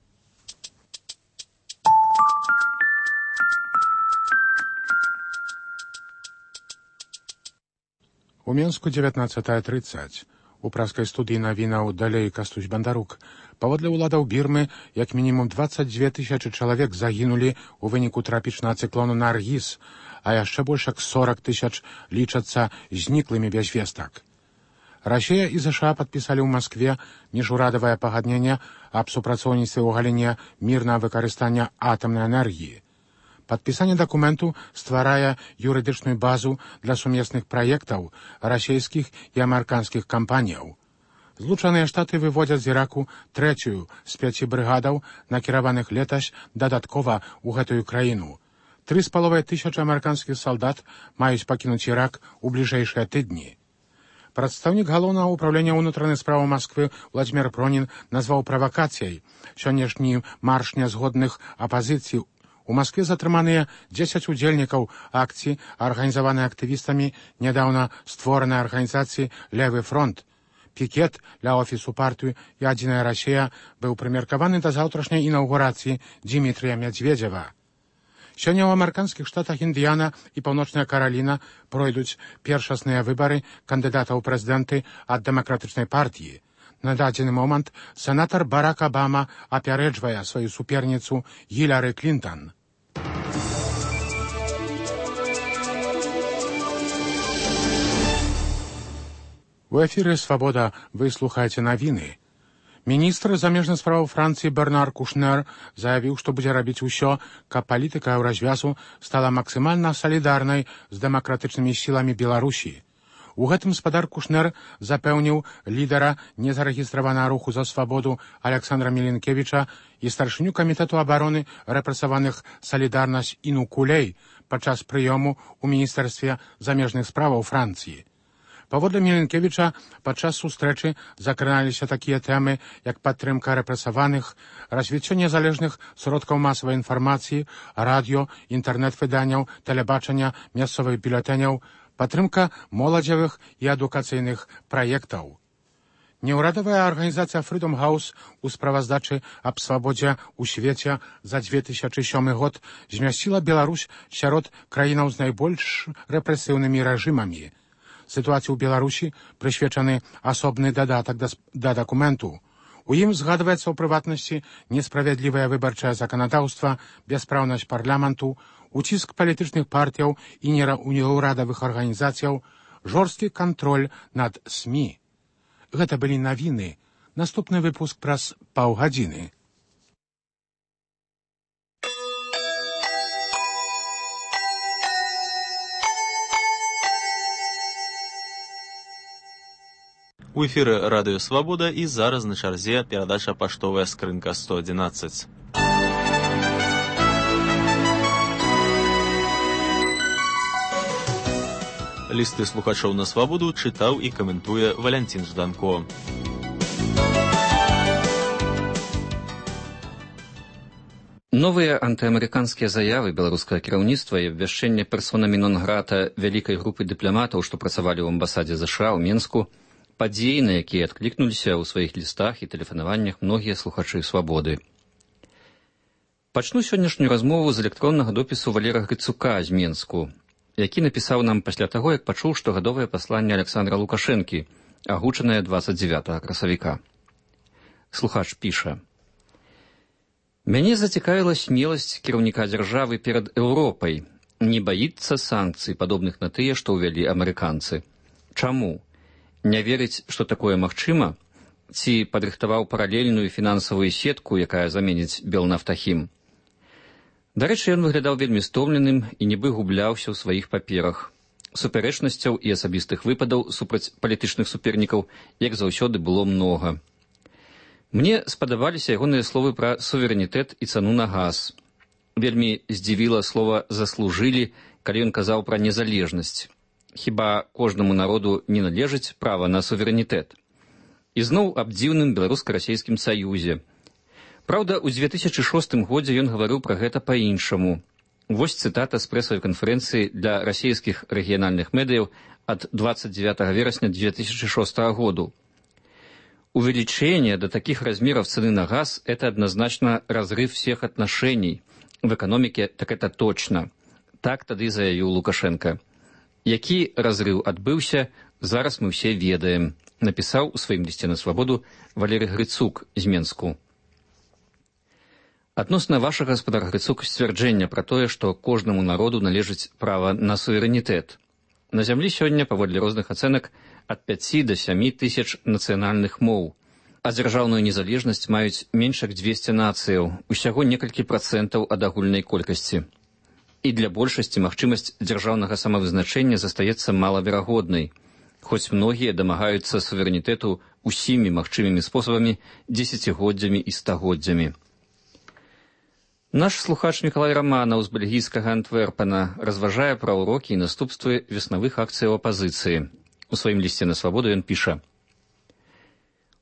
У Менску дзевятнаццатая трыццаць. У праскай студыі навінаў далей Кастусь Бандарук. Паводле ўладаў Бірмы, як мінімум дваццаць дзве тысячы чалавек загінулі ў выніку трапічнага цыклону Наргіз, а яшчэ больш як сорок тысяч лічацца зніклымі без вестак. Расія і ЗША падпісалі ў Маскве міжурадавае пагадненне аб супрацоўніцтве ў галіне мірнага выкарыстання атамнай энергіі. Падпісанне дакументу стварае юрыдычную базу для сумесных праектаў расійскіх і амерыканскіх кампаніяў. Злучаныя Штаты выводзяць з Іраку трэцюю з пяці брыгадаў, накіраваных летась дадаткова ў гэтую краіну. Тры з паловай тысячы амерыканскіх салдат маюць пакінуць Ірак у бліжэйшыя тыдні. Прадстаўнік галоўнага ўпраўлення ўнутраных спраў Масквы Владзімір Пронін назваў правакацыяй сённяшні марш нязгодных апазіцый. У Маскве затрыманыя дзесяць удзельнікаў акцыі, арганізаванай актывістамі нядаўна створанай арганізацыі «Левы фронт». Пікет ля офісу партыі «Ядзіная Расія» быў прымеркаваны да заўтрашняй інаўгурацыі Дзімітрыя Мядзведзева. Сёння ў амерыканскіх штатах Індыяна і Паўночная Караліна пройдуць першасныя выбары кандыдатаў у прэзідэнты ад дэмакратычнай партыі. На дадзены момант сенатар Барак Абама апярэджвае сваю суперніцу Гіляры Клінтан. У эфіры «Свабода» вы слухаеце навіны. Міністр замежных спраў Францыі Бернар Кушнер заявіў, што будзе рабіць усё, каб палітыка еўразвязу стала максімальна салідарнай з дэмакратычнымі сіламі Беларусі. У гэтым спадар Кушнер запэўніў лідара незарэгістраванага руху за свабоду Александра Міленкевіча і старшыню камітэту абароны рэпрэсаваных «Салідарнасць» Іну Кулей падчас прыёму ў міністэрстве замежных справаў Францыі. Паводле Міленкевіча, падчас сустрэчы закраналіся такія тэмы, як падтрымка рэпрэсаваных, развіццё незалежных сродкаў масавай інфармацыі, радыё, інтэрнэт-выданняў, тэлебачання, мясцовых бюлетэняў, падтрымка моладзевых і адукацыйных праектаў. Неўрадавая арганізацыя Freedom House у справаздачы аб свабодзе ў свеце за дзве тысячы сёмы год змясціла Беларусь сярод краінаў з найбольш рэпрэсіўнымі рэжымамі. Сітуацыі ў Беларусі прысвечаны асобны дадатак да, да дакументу. У ім згадваецца ў прыватнасці несправядлівае выбарчае заканадаўства, бяспраўнасць парламенту, уціск палітычных партыяў і неўрадавых арганізацыяў, жорсткі кантроль над СМІ. Гэта былі навіны. Наступны выпуск праз паўгадзіны. У эфіры радыё «Свабода» і зараз на чарзе перадача «Паштовая скрынка сто адзінаццаць». Лісты слухачоў на «Свабоду» чытаў і каментуе Валянцін Жданко. Новыя антыамерыканскія заявы беларускага кіраўніцтва і абвяшчэнне персонамі нон-грата вялікай групы дыпламатаў, што працавалі ў амбасадзе ЗША ў Менску, падзеі, на якія адклікнуліся ў сваіх лістах і тэлефанаваннях многія слухачы «Свабоды». Пачну сённяшнюю размову з электроннага допісу Валера Грыцука з Менску, які напісаў нам пасля таго, як пачуў штогадовае пасланне Александра Лукашэнкі, агучанае дваццаць дзевятага красавіка. Слухач піша: «Мяне зацікавіла смеласць кіраўніка дзяржавы перад Еўропай, не баіцца санкцый, падобных на тыя, што ўвялі амерыканцы. Чаму? Не верыць, што такое магчыма? Ці падрыхтаваў паралельную фінансавую сетку, якая заменіць Белнафтахім? Дарэчы, ён выглядаў вельмі стомленым і нібы губляўся ў сваіх паперах. Супярэчнасцяў і асабістых выпадаў супраць палітычных супернікаў, як заўсёды, было многа. Мне спадабаліся ягоныя словы пра суверэнітэт і цану на газ. Вельмі здзівіла слова «заслужылі», калі ён казаў пра незалежнасць. Хіба кожнаму народу не належыць права на суверэнітэт? І зноў аб дзіўным беларуска-расейскім саюзе. Праўда, у дзве тысячы шостым годзе ён гаварыў пра гэта па-іншаму. Вось цытата з прэсавай канферэнцыі для расійскіх рэгіянальных медыяў ад двадцать девятого вересня две тысячи шестого году. Увеличение до таких размеров цены на газ – это однозначно разрыв всех отношений. В экономике так это точно. Так тады заявіў Лукашенко. Які разрыв адбыўся, зараз мы все ведаем, напісаў у сваім лісце на свабоду Валерый Грыцук з Менску. Адносна вашага, гаспадар Грыцук, сцвярджэння пра тое, што кожнаму народу належыць права на суверэнітэт. На зямлі сёння, паводле розных ацэнак, ад пяці да сямі тысяч нацыянальных моў, а дзяржаўную незалежнасць маюць менш як дзвесце нацыяў, усяго некалькі працэнтаў ад агульнай колькасці. І для большасці магчымасць дзяржаўнага самавызначэння застаецца малаверагоднай, хоць многія дамагаюцца суверэнітэту усімі магчымымі спосабамі, дзесяцігоддзямі і стагоддзямі. Наш слухач Мікалай Раманаў з бельгійскага Антверпена разважае пра ўрокі і наступствы веснавых акцыяў апазіцыі. У сваім лісце на свабоду ён піша: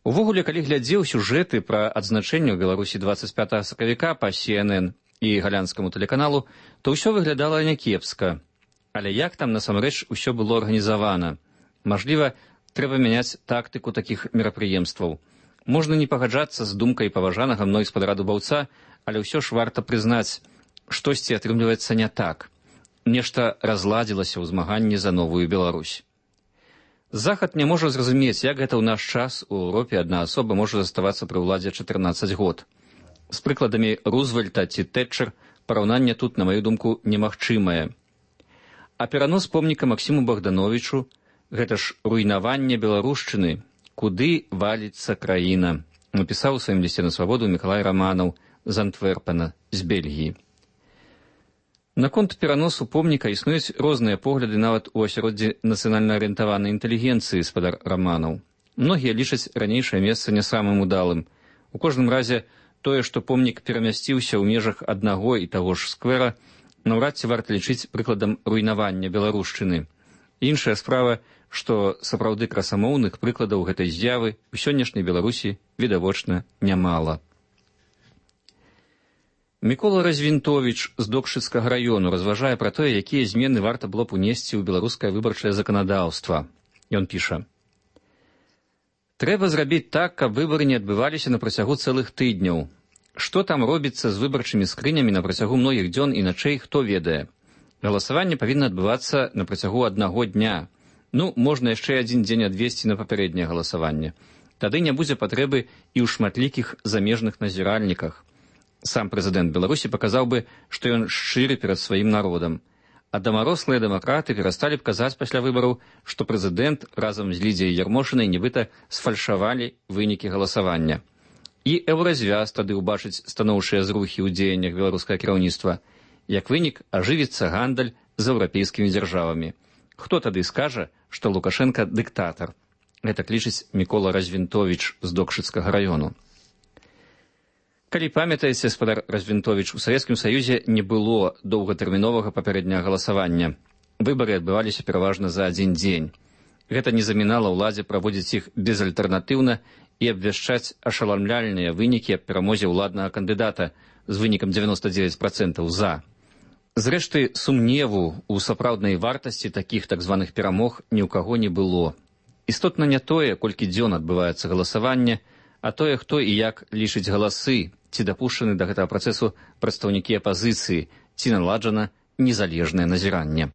Увогуле, калі глядзеў сюжэты пра адзначэнне ў Беларусі двадцать пятого сакавіка па Си Эн Эн і галянскаму тэлеканалу, то ўсё выглядала някепска. Але як там насамрэч усё было арганізавана? Мажліва, трэба мяняць тактыку такіх мерапрыемстваў. Можна не пагаджацца з думкай паважанага мной спадара Дубаўца, але ўсё ж варта прызнаць, штосьці атрымліваецца не так. Нешта разладзілася ў змаганні за новую Беларусь. Захад не можа зразумець, як гэта ў наш час у Еўропе адна асоба можа заставацца пры ўладзе чатырнаццаць год. З прыкладамі Рузвельта ці Тэтчер параўнанне тут, на маю думку, немагчымае. А перанос помніка Максіму Богдановичу – гэта ж руйнаванне беларушчыны, куды валіцца краіна, напісаў у сваім лісце на свабоду Мікалай Раманаў з Антверпена, з Бельгіі. Наконт пераносу помніка існуюць розныя погляды нават у асяроддзі нацыянальна арыентаванай інтэлігенцыі, спадар Раманаў. Многія лічаць ранейшае месца не самым удалым. У кожным разе тое, што помнік перамясціўся ў межах аднаго і таго ж сквера, наўрад ці варта лічыць прыкладам руйнавання беларушчыны. Іншая справа, што сапраўды красамоўных прыкладаў гэтай з'явы ў сённяшняй Беларусі відавочна нямала. Мікола Развінтовіч з Докшыцкага раёну разважае пра тое, якія змены варта было б унесці ў беларускае выбарчае заканадаўства. Ён піша: Трэба зрабіць так, каб выбары не адбываліся на працягу цэлых тыдняў. Што там робіцца з выбарчымі скрынямі на працягу многіх дзён і начэй, хто ведае. Галасаванне павінна адбывацца на працягу аднаго дня. Ну, можна яшчэ адзін дзень адвесці на папярэдняе галасаванне. Тады не будзе патрэбы і ў шматлікіх замежных назіральніках. Сам прэзідэнт Беларусі паказаў бы, што ён шчыры перад сваім народам. А дамарослыя дэмакраты перасталі б казаць пасля выбараў, што прэзідэнт разам з Лідзіяй Ярмошынай нібыта сфальшавалі вынікі галасавання. І еўразвяз тады ўбачыць станоўчыя зрухі ў дзеяннях беларускага кіраўніцтва. Як вынік, ажывіцца гандаль з еўрапейскімі дзяржавамі. Хто тады скажа, што Лукашенко дыктатар? Гэта лічыць Мікола Развінтовіч з Докшыцкага раёну. Калі памятаеце, спадар Развінтовіч, у Савецкім Саюзе не было доўгатэрміновага папярэдняга галасавання. Выбары адбываліся пераважна за адзін дзень. Гэта не замінала ўладзе праводзіць іх безальтэрнатыўна і абвяшчаць ашаламляльныя вынікі аб перамозе ўладнага кандыдата з вынікам дзевяноста дзевяць працэнтаў за. Зрэшты, сумневу ў сапраўднай вартасці такіх так званых перамог ні ў каго не было. Істотна не тое, колькі дзён адбываецца галасаванне, а тое, хто і як лічыць галасы, ці дапушчаны да гэтага працэсу прадстаўнікі апазіцыі, ці наладжана незалежнае назіранне.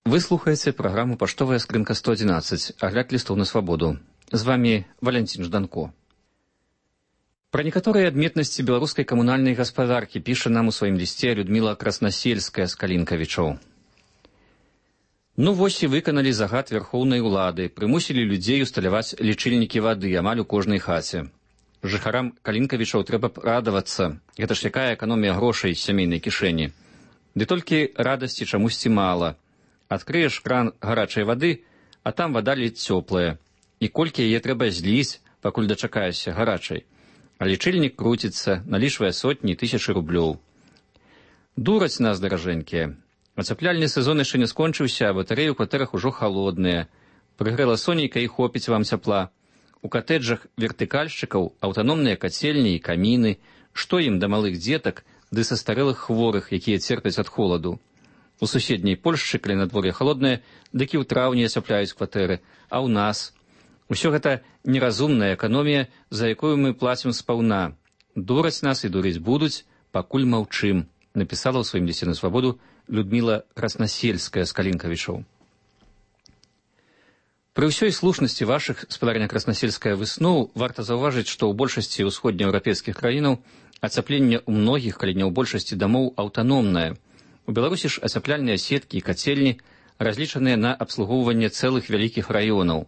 Вы слухаеце праграму «Паштовая скрынка сто адзінаццаць», агляд лістоў на свабоду. З вамі Валянцін Жданко. Пра некаторыя адметнасці беларускай камунальнай гаспадаркі піша нам у сваім лісце Людміла Краснасельская з Калінкавічоў. Ну вось і выканалі загад вярхоўнай улады, прымусілі людзей усталяваць лічыльнікі вады амаль у кожнай хаце. Жыхарам Калінкавічоў трэба б радавацца, гэта ж якая эканомія грошай з сямейнай кішэні. Ды толькі радасці чамусьці мала. Адкрыеш кран гарачай вады, а там вада ледзь цёплая. І колькі яе трэба зліць, пакуль дачакаешся гарачай. А лічыльнік круціцца, налічвае сотні тысячы рублёў. Дураць нас, даражэнькія. Ацяпляльны сезон яшчэ не скончыўся, а батарэі ў кватэрах ужо халодныя. Прыгрэла сонейка і хопіць вам цяпла. У катэджах вертыкальшчыкаў аўтаномныя кацельні і каміны. Што ім да малых дзетак ды састарэлых хворых, якія церпяць ад холаду. У суседняй Польшчы, калі надвор'е халоднае, дык і ў траўні ацяпляюць кватэры, а ў нас. Усё гэта неразумная эканомія, за якую мы плацім спаўна. Дураць нас і дурыць будуць, пакуль маўчым, напісала ў сваім лісце на свабоду Людміла Краснасельская з Калінкавічаў. Пры ўсёй слушнасці вашых, спадарня Краснасельская, высноў, варта заўважыць, што ў большасці ўсходнееўрапейскіх краінаў ацяпленне ў многіх, калі не ў большасці дамоў, аўтаномнае. У Беларусі ж ацяпляльныя сеткі і кацельні разлічаныя на абслугоўванне цэлых вялікіх раёнаў.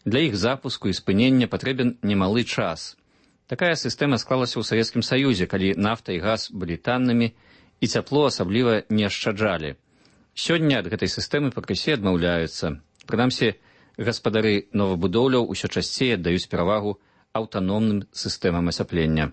Для іх запуску і спынення патрэбен немалы час. Такая сістэма склалася ў Савецкім Саюзе, калі нафта і газ былі таннымі, і цяпло асабліва не ашчаджалі. Сёння ад гэтай сістэмы пакрысе адмаўляюцца. Прынамсі, гаспадары новабудоўляў усё часцей аддаюць перавагу аўтаномным сістэмам ацяплення.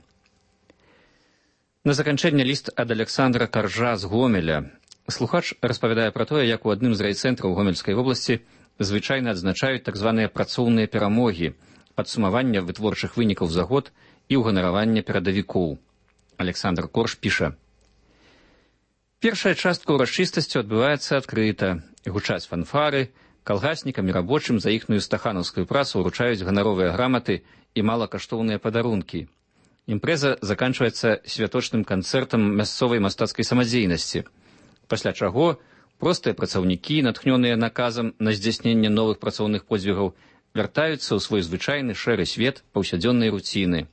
На заканчэнне ліст ад Александра Каржа з Гомеля. Слухач распавядае пра тое, як у адным з райцэнтраў Гомельскай вобласці звычайна адзначаюць так званыя працоўныя перамогі, падсумавання вытворчых вынікаў за год і ўганаравання перадавікоў. Александр Корж піша: першая частка ўрачыстасцю адбываецца адкрыта. Гучаць фанфары, калгаснікам і рабочым за іхную стаханаўскую працу ўручаюць ганаровыя граматы і малакаштоўныя падарункі. Імпрэза заканчваецца святочным канцэртам мясцовай мастацкай самадзейнасці, пасля чаго простыя працаўнікі, натхнёныя наказам на здзяйсненне новых працоўных подзвігаў, вяртаюцца ў свой звычайны шэры свет паўсядзённай руціны.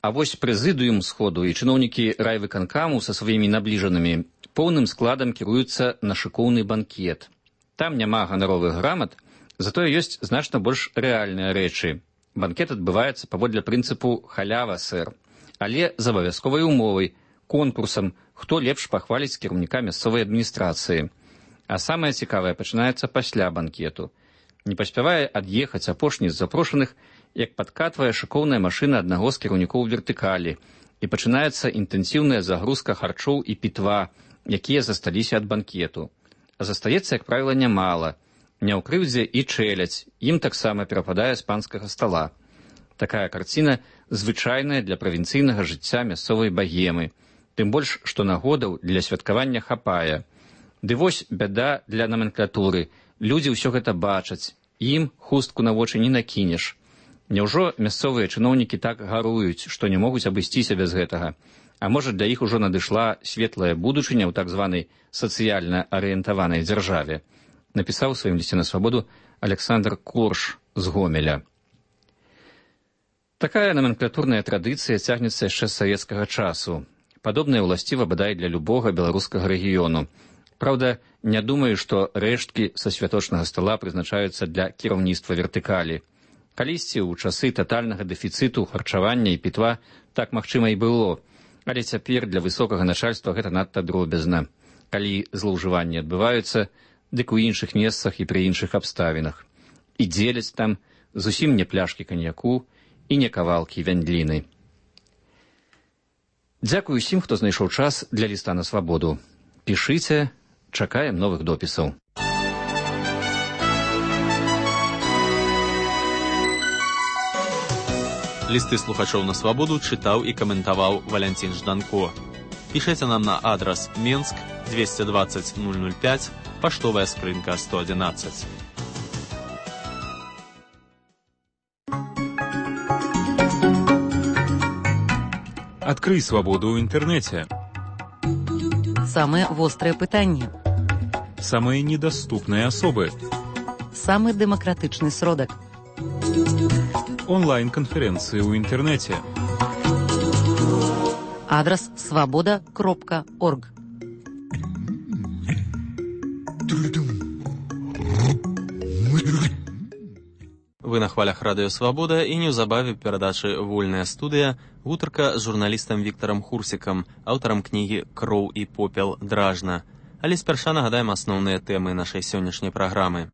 А вось прэзідыум сходу і чыноўнікі райвыканкаму са сваімі набліжанымі поўным складам кіруюцца на шыкоўны банкет. Там няма ганаровых грамат, затое ёсць значна больш рэальныя рэчы. Банкет адбываецца паводле прынцыпу халява, сэр, але з абавязковай умовай, конкурсам, хто лепш пахваліць кіраўніка мясцовай адміністрацыі. А самае цікавае пачынаецца пасля банкету. Не паспявае ад'ехаць апошні з запрошаных, як падкатвае шыкоўная машына аднаго з кіраўнікоў вертыкалі, і пачынаецца інтэнсіўная загрузка харчоў і пітва, якія засталіся ад банкету. А застаецца, як правіла, нямала. Не ў крыўдзе і чэляць, ім таксама перападае з панскага стала. Такая карціна звычайная для правінцыйнага жыцця мясцовай багемы, тым больш, што нагодаў для святкавання хапае. Ды вось бяда для наменклатуры. Людзі ўсё гэта бачаць, ім хустку на вочы не накінеш. Няўжо мясцовыя чыноўнікі так гаруюць, што не могуць абысціся без гэтага? А можа, для іх ужо надышла светлая будучыня ў так званай сацыяльна арыентаванай дзяржаве, напісаў у сваім лісце на свабоду Александр Корж з Гомеля. Такая наменклатурная традыцыя цягнецца яшчэ з савецкага часу. Падобная ўласціва бадай для любога беларускага рэгіёну. Праўда, не думаю, што рэшткі са святочнага стала прызначаюцца для кіраўніцтва вертыкалі. Калісьці ў часы татальнага дэфіцыту харчавання і пітва так магчыма і было, але цяпер для высокага начальства гэта надта дробязна. Калі злоўжыванні адбываюцца, дык у іншых месцах і пры іншых абставінах. І дзеляць там зусім не пляшкі каньяку і не кавалкі вяндліны. Дзякую усім, хто знайшоў час для ліста на свабоду. Пішыце, чакаем новых допісаў. Лісты слухачоў на свабоду чытаў і каментаваў Валянцін Жданко. Пішыце нам на адрас Менск двести двадцать ноль ноль пять, паштовая скрынка сто одиннадцать. Адкрый свабоду ў інтэрнэце. Самыя вострыя пытанні. Самыя недаступныя асобы. Самы дэмакратычны сродак. Онлайн-канферэнцыі ў інтэрнэце. Адрас свабода кропка орг. Вы на хвалях радыё Свабода і неўзабаве перадачы «Вольная студыя» гутарка з журналістам Віктарам Хурсікам, аўтарам кнігі «Кроў і попел дражна». Але спярша нагадаем асноўныя тэмы нашай сённяшняй праграмы.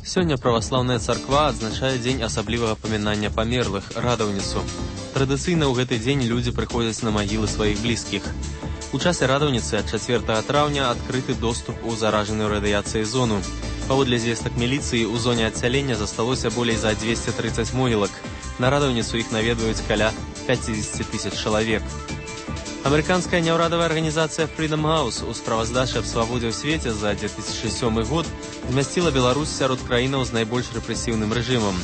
Сёння праваслаўная царква адзначае дзень асаблівага памінання памерлых, радаўніцу. Традыцыйна ў гэты дзень людзі прыходзяць на магілы сваіх блізкіх. У часе радаўніцы ад чацвёртага траўня адкрыты доступ у заражаную радыяцыяй зону. Паводле звестак міліцыі, у зоне адсялення засталося болей за дзвесце трыццаць могілак. На радаўніцу іх наведваюць каля пяцьдзесят тысяч чалавек. Амерыканская няўрадавая арганізацыя Freedom House у справаздачы аб свабодзе ў свеце за две тысячы сёмы год змясціла Беларусь сярод краінаў з найбольш рэпрэсіўным рэжымам.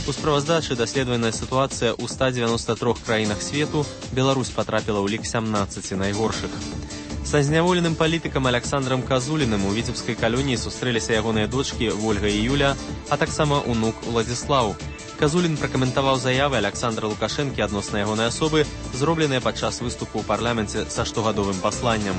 У справаздачы даследаваная сітуацыя ў ста дзевяноста трох краінах свету, Беларусь патрапіла ў лік сямнаццаці найгоршых. Са зняволеным палітыкам Аляксандрам Казуліным у віцебскай калоніі сустрэліся ягоныя дочкі Вольга і Юля, а таксама унук Уладзіслаў. Казулін пракаментаваў заявы Аляксандра Лукашэнкі адносна ягонай асобы, зробленыя падчас выступу ў парламенце са штогадовым пасланнем.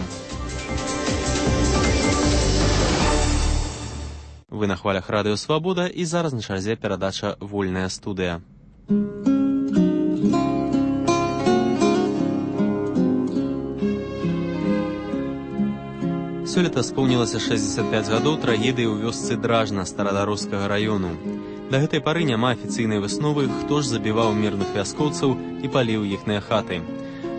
Вы на хвалях радыё Свабода, і зараз на чарзе перадача «Вольная студыя». Сёлета споўнілася шэсцьдзесят пяць гадоў трагедыі ў вёсцы Дражна старадарожскага раёну. Да гэтай пары няма афіцыйнай высновы, хто ж забіваў мірных вяскоўцаў і паліў іхныя хаты.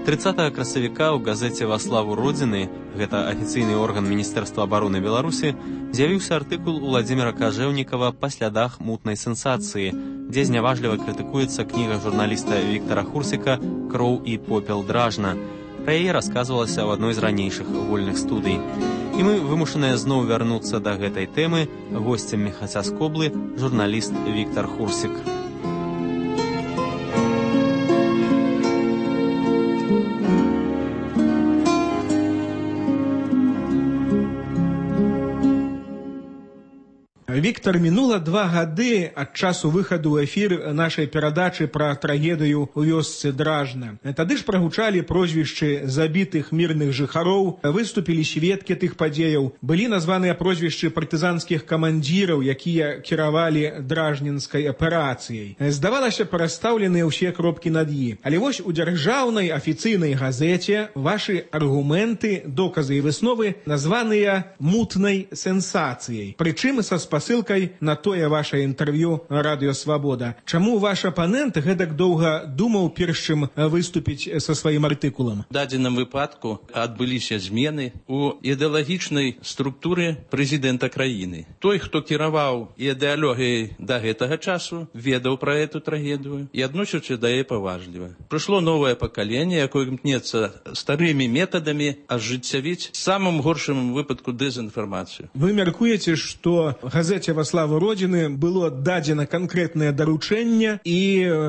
трыццатага красавіка ў газеце «Во славу Родзіны», гэта афіцыйны орган Міністэрства абароны Беларусі, з'явіўся артыкул Уладзіміра Кажэўнікава «Па слядах мутнай сенсацыі», дзе зняважліва крытыкуецца кніга журналіста Віктара Хурсіка «Кроў і попел Дражна». Пра яе расказвалася ў адной з ранейшых вольных студый. І мы вымушаныя зноў вярнуцца да гэтай тэмы. Госцем «Мехаця з Коблы» журналіст Віктар Хурсік. Віктор, мінула два гады ад часу выхаду ў эфір нашай перадачы пра трагедыю ў вёсцы Дражна. Тады ж прагучалі прозвішчы забітых мірных жыхароў, выступілі сведкі тых падзеяў, былі названыя прозвішчы партызанскіх камандзіраў, якія кіравалі дражнінскай аперацыяй. Здавалася, перастаўленыя ўсе кропкі над «і». Але вось у дзяржаўнай афіцыйнай газеце вашы аргументы, доказы і высновы названыя мутнай сенсацыяй. Прычым са спасылкай ссылкай на тое ваше інтэрв'ю радыё Свабода. Чаму ваш апанент гэтак доўга думаў, перш чым выступіць са сваім артыкулам? У дадзеным выпадку адбыліся змены ў ідэалагічнай структуры прэзідэнта краіны. Той, хто кіраваў ідэалогіяй да гэтага часу, ведаў пра эту трагедыю і адносіўся да яе паважліва. Прыйшло новае пакаленне, якое імкнецца старымі метадамі ажыццявіць самым горшым выпадку дэзінфармацыю. Вы мяркуеце, што газета «Во славу Родины» было дадзена канкрэтнае даручэнне, і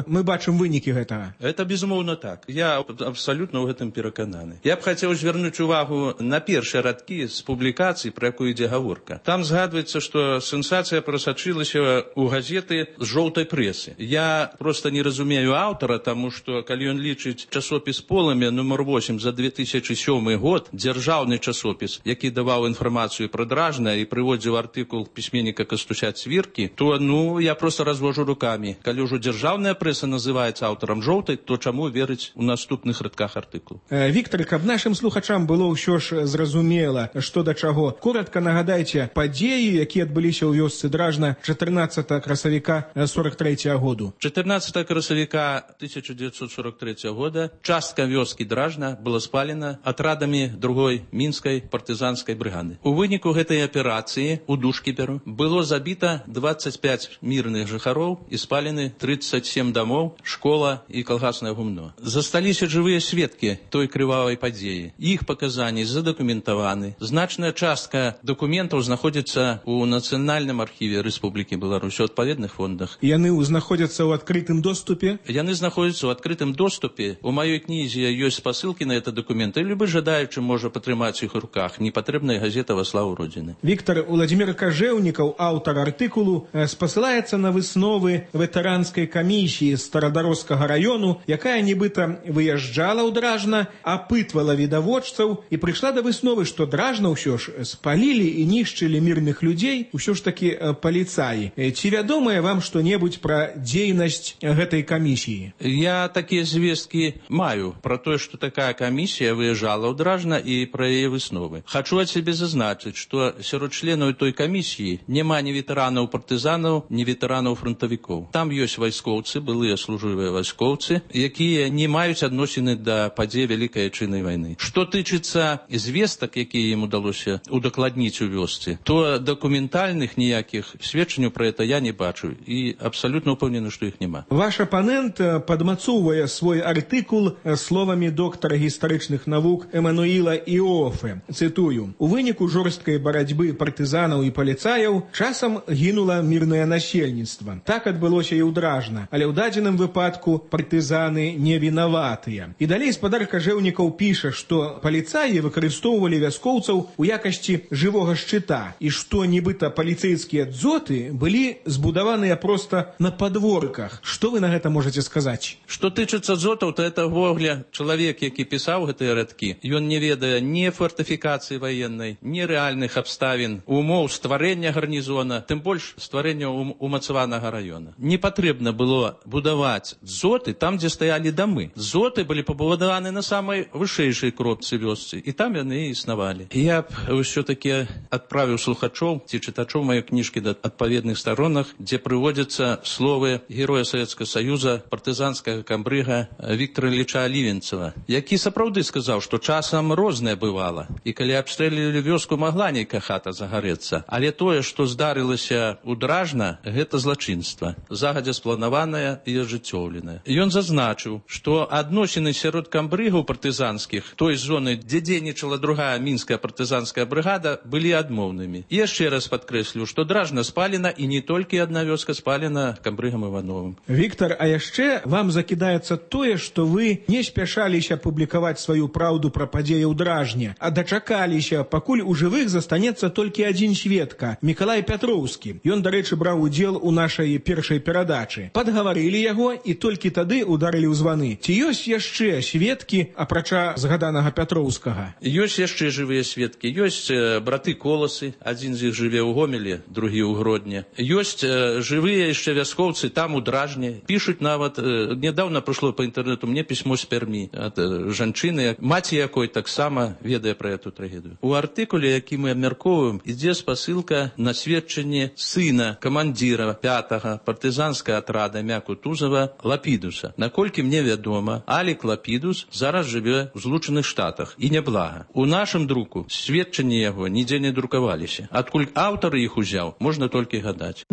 мы бачым вынікі гэтага. Это безумоўна так. Я абсалютна ў гэтым перакананы. Я б хацеў звярнуць увагу на першыя радкі з публікацый, пра якую ідзе гаворка. Там згадваецца, што сенсацыя прасачылася ў газеты з жоўтай прэсы. Я проста не разумею аўтара, таму што калі ён лічыць часопіс «Полымя» нумар восем за две тысячы сёмы год, дзяржаўны часопіс, які даваў інфармацыю пра Дражна і прыводзіў артыкул пісьменніка Кастуся Цвіркі, то, ну, я просто развожу руками. Калі ўжо дзяржаўная прэса называецца аўтарам жоўтай, то чаму верыць у наступных радках артыкулу? Э, Віктор, каб нашым слухачам было ўсё ж зразумела, што да чаго, коротка нагадайце падзеі, якія адбыліся ў вёсцы Дражна чатырнаццатага красавіка сорок трэцяга году. чатырнаццатага красавіка тысяча дзевятьсот сорок трэцяга года частка вёскі Дражна была спалена атрадамі другой мінскай партызанскай брыгады. У выніку гэтай аперацыі у Душкіперу было забіта двадцать пять мірных жыхароў і спалены тридцать семь дамоў, школа і калгаснае гумно. Засталіся жывыя сведкі той крывавай падзеі. Іх паказанні задакументаваны. Значная частка дакументаў знаходзіцца ў Нацыянальным архіве Рэспублікі Беларусь у адпаведных фондах. Яны знаходзяцца ў адкрытым доступе? Яны знаходзяцца ў адкрытым доступе. У маёй кнізе ёсць спасылкі на это дакументы. Любы жадаючы можа патрымаць іх у руках. Непатрэбная газета «Во славу Родины». Віктор, Уладзімір Кажэўнікаў, аўтар артыкулу, спасылаецца на высновы ветэранскай камісіі старадарожскага раёну, якая нібыта выязджала ў Дражна, апытвала відавочцаў і прыйшла да высновы, што Дражна ўсё ж спалілі і нішчылі мірных людзей ўсё ж такі паліцаі. Ці вядомае вам што-небудзь пра дзейнасць гэтай камісіі? Я такія звесткі маю пра тое, што такая камісія выязджала ў Дражна і пра яе высновы. Хачу ад сябе зазначыць, што сярод членаў той камісіі няма няма ні ветэранаў партызанаў, ні ветэранаў фронтавікоў. Там ёсць вайскоўцы, былыя служывыя вайскоўцы, якія не маюць адносіны да падзей Вялікай Адчайнай вайны. Што тычыцца звестак, якія ім удалося удакладніць у вёсцы, то дакументальных ніякіх сведчанняў пра гэта я не бачу і абсалютна ўпэўнены, што іх няма. Ваш апанент падмацоўвае свой артыкул словамі доктара гістарычных навук Эмануіла Іофе. Цытую: «У выніку жорсткай барацьбы партызанаў і паліцаяў часам гінула мірнае насельніцтва. Так адбылося і ў Дражна, але ў дадзеным выпадку партызаны не вінаватыя». І далей спадар Кажэўнікаў піша, што паліцаі выкарыстоўвалі вяскоўцаў у якасці жывога шчыта і што нібыта паліцэйскія дзоты былі збудаваныя проста на падворках. Што вы на гэта можаце сказаць? Што тычыцца дзотаў, то это ввогуле чалавек, які пісаў гэтыя радкі. Ён не ведае ні фортыфікацыі ваеннай, ні рэальных абставін, умоў стварэння гарнізона, тым больш стварэння умацаванага раёна. Не патрэбна было будаваць дзоты там, дзе стаялі дамы. Дзоты былі пабудаваны на самай вышэйшай кропцы вёсцы, і там яны існавалі. Я б ўсё-такі адправіў слухачоў ці чытачоў маёй кніжкі да адпаведных сторонах, дзе прыводзяцца словы героя Савецкага Саюза, партызанскага камбрыга Віктора Ілліча Алівенцева, які сапраўды сказаў, што часам рознае бывала, і калі абстрэлілі вёску, магла нейкая хата загарэцца, але тое, што здарылася ў Дражна, гэта злачынства, загадзя спланаванае і ажыццёўленае. Ён зазначыў, што адносіны сярод камбрыгаў партызанскіх той зоны, дзе дзейнічала другая мінская партызанская брыгада, былі адмоўнымі. І яшчэ раз падкрэслю, што Дражна спалена, і не толькі адна вёска спалена камбрыгам Івановым. Віктор, а яшчэ вам закідаецца тое, што вы не спяшаліся публікаваць сваю праўду пра падзеі ў Дражне, а дачакаліся, пакуль у жывых застанецца толькі адзін сведка, Мікалай Пятроўскі. Ён, дарэчы, браў удзел у нашай першай перадачы. Падгаварылі яго і толькі тады ударылі ў званы. Ці ёсць яшчэ сведкі, апрача згаданага Пятроўскага? Ёсць яшчэ жывыя сведкі. Ёсць э, браты Коласы, адзін з іх жыве ў Гомелі, другі ў Гродні. Ёсць э, жывыя яшчэ вяскоўцы там у Дражне. Пішуць нават, э, недавно прышло па інтэрнету мне пісьмо з Пермі ад э, жанчыны, маці якой таксама ведае пра эту трагедыю. У артыкуле, які мы абмяркоўваем, ідзе спасылка на сведчанне сына камандзіра пятага партызанскага атрада імя Кутузова Лапідуса. Наколькі мне вядома, Алік Лапідус зараз жыве ў Злучаных Штатах і няблага. У нашым друку сведчанні яго нідзе не друкаваліся. Адкуль аўтар іх узяў, можна толькі гадаць.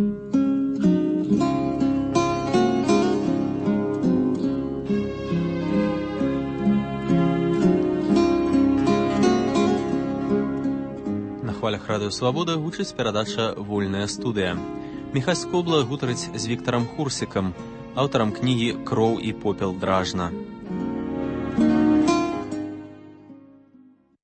На хвалях радыё Свабода гучыць перадача «Вольная студыя». Міхась Скобла гутарыць з Віктарам Хурсікам, аўтарам кнігі «Кроў і попел Дражна».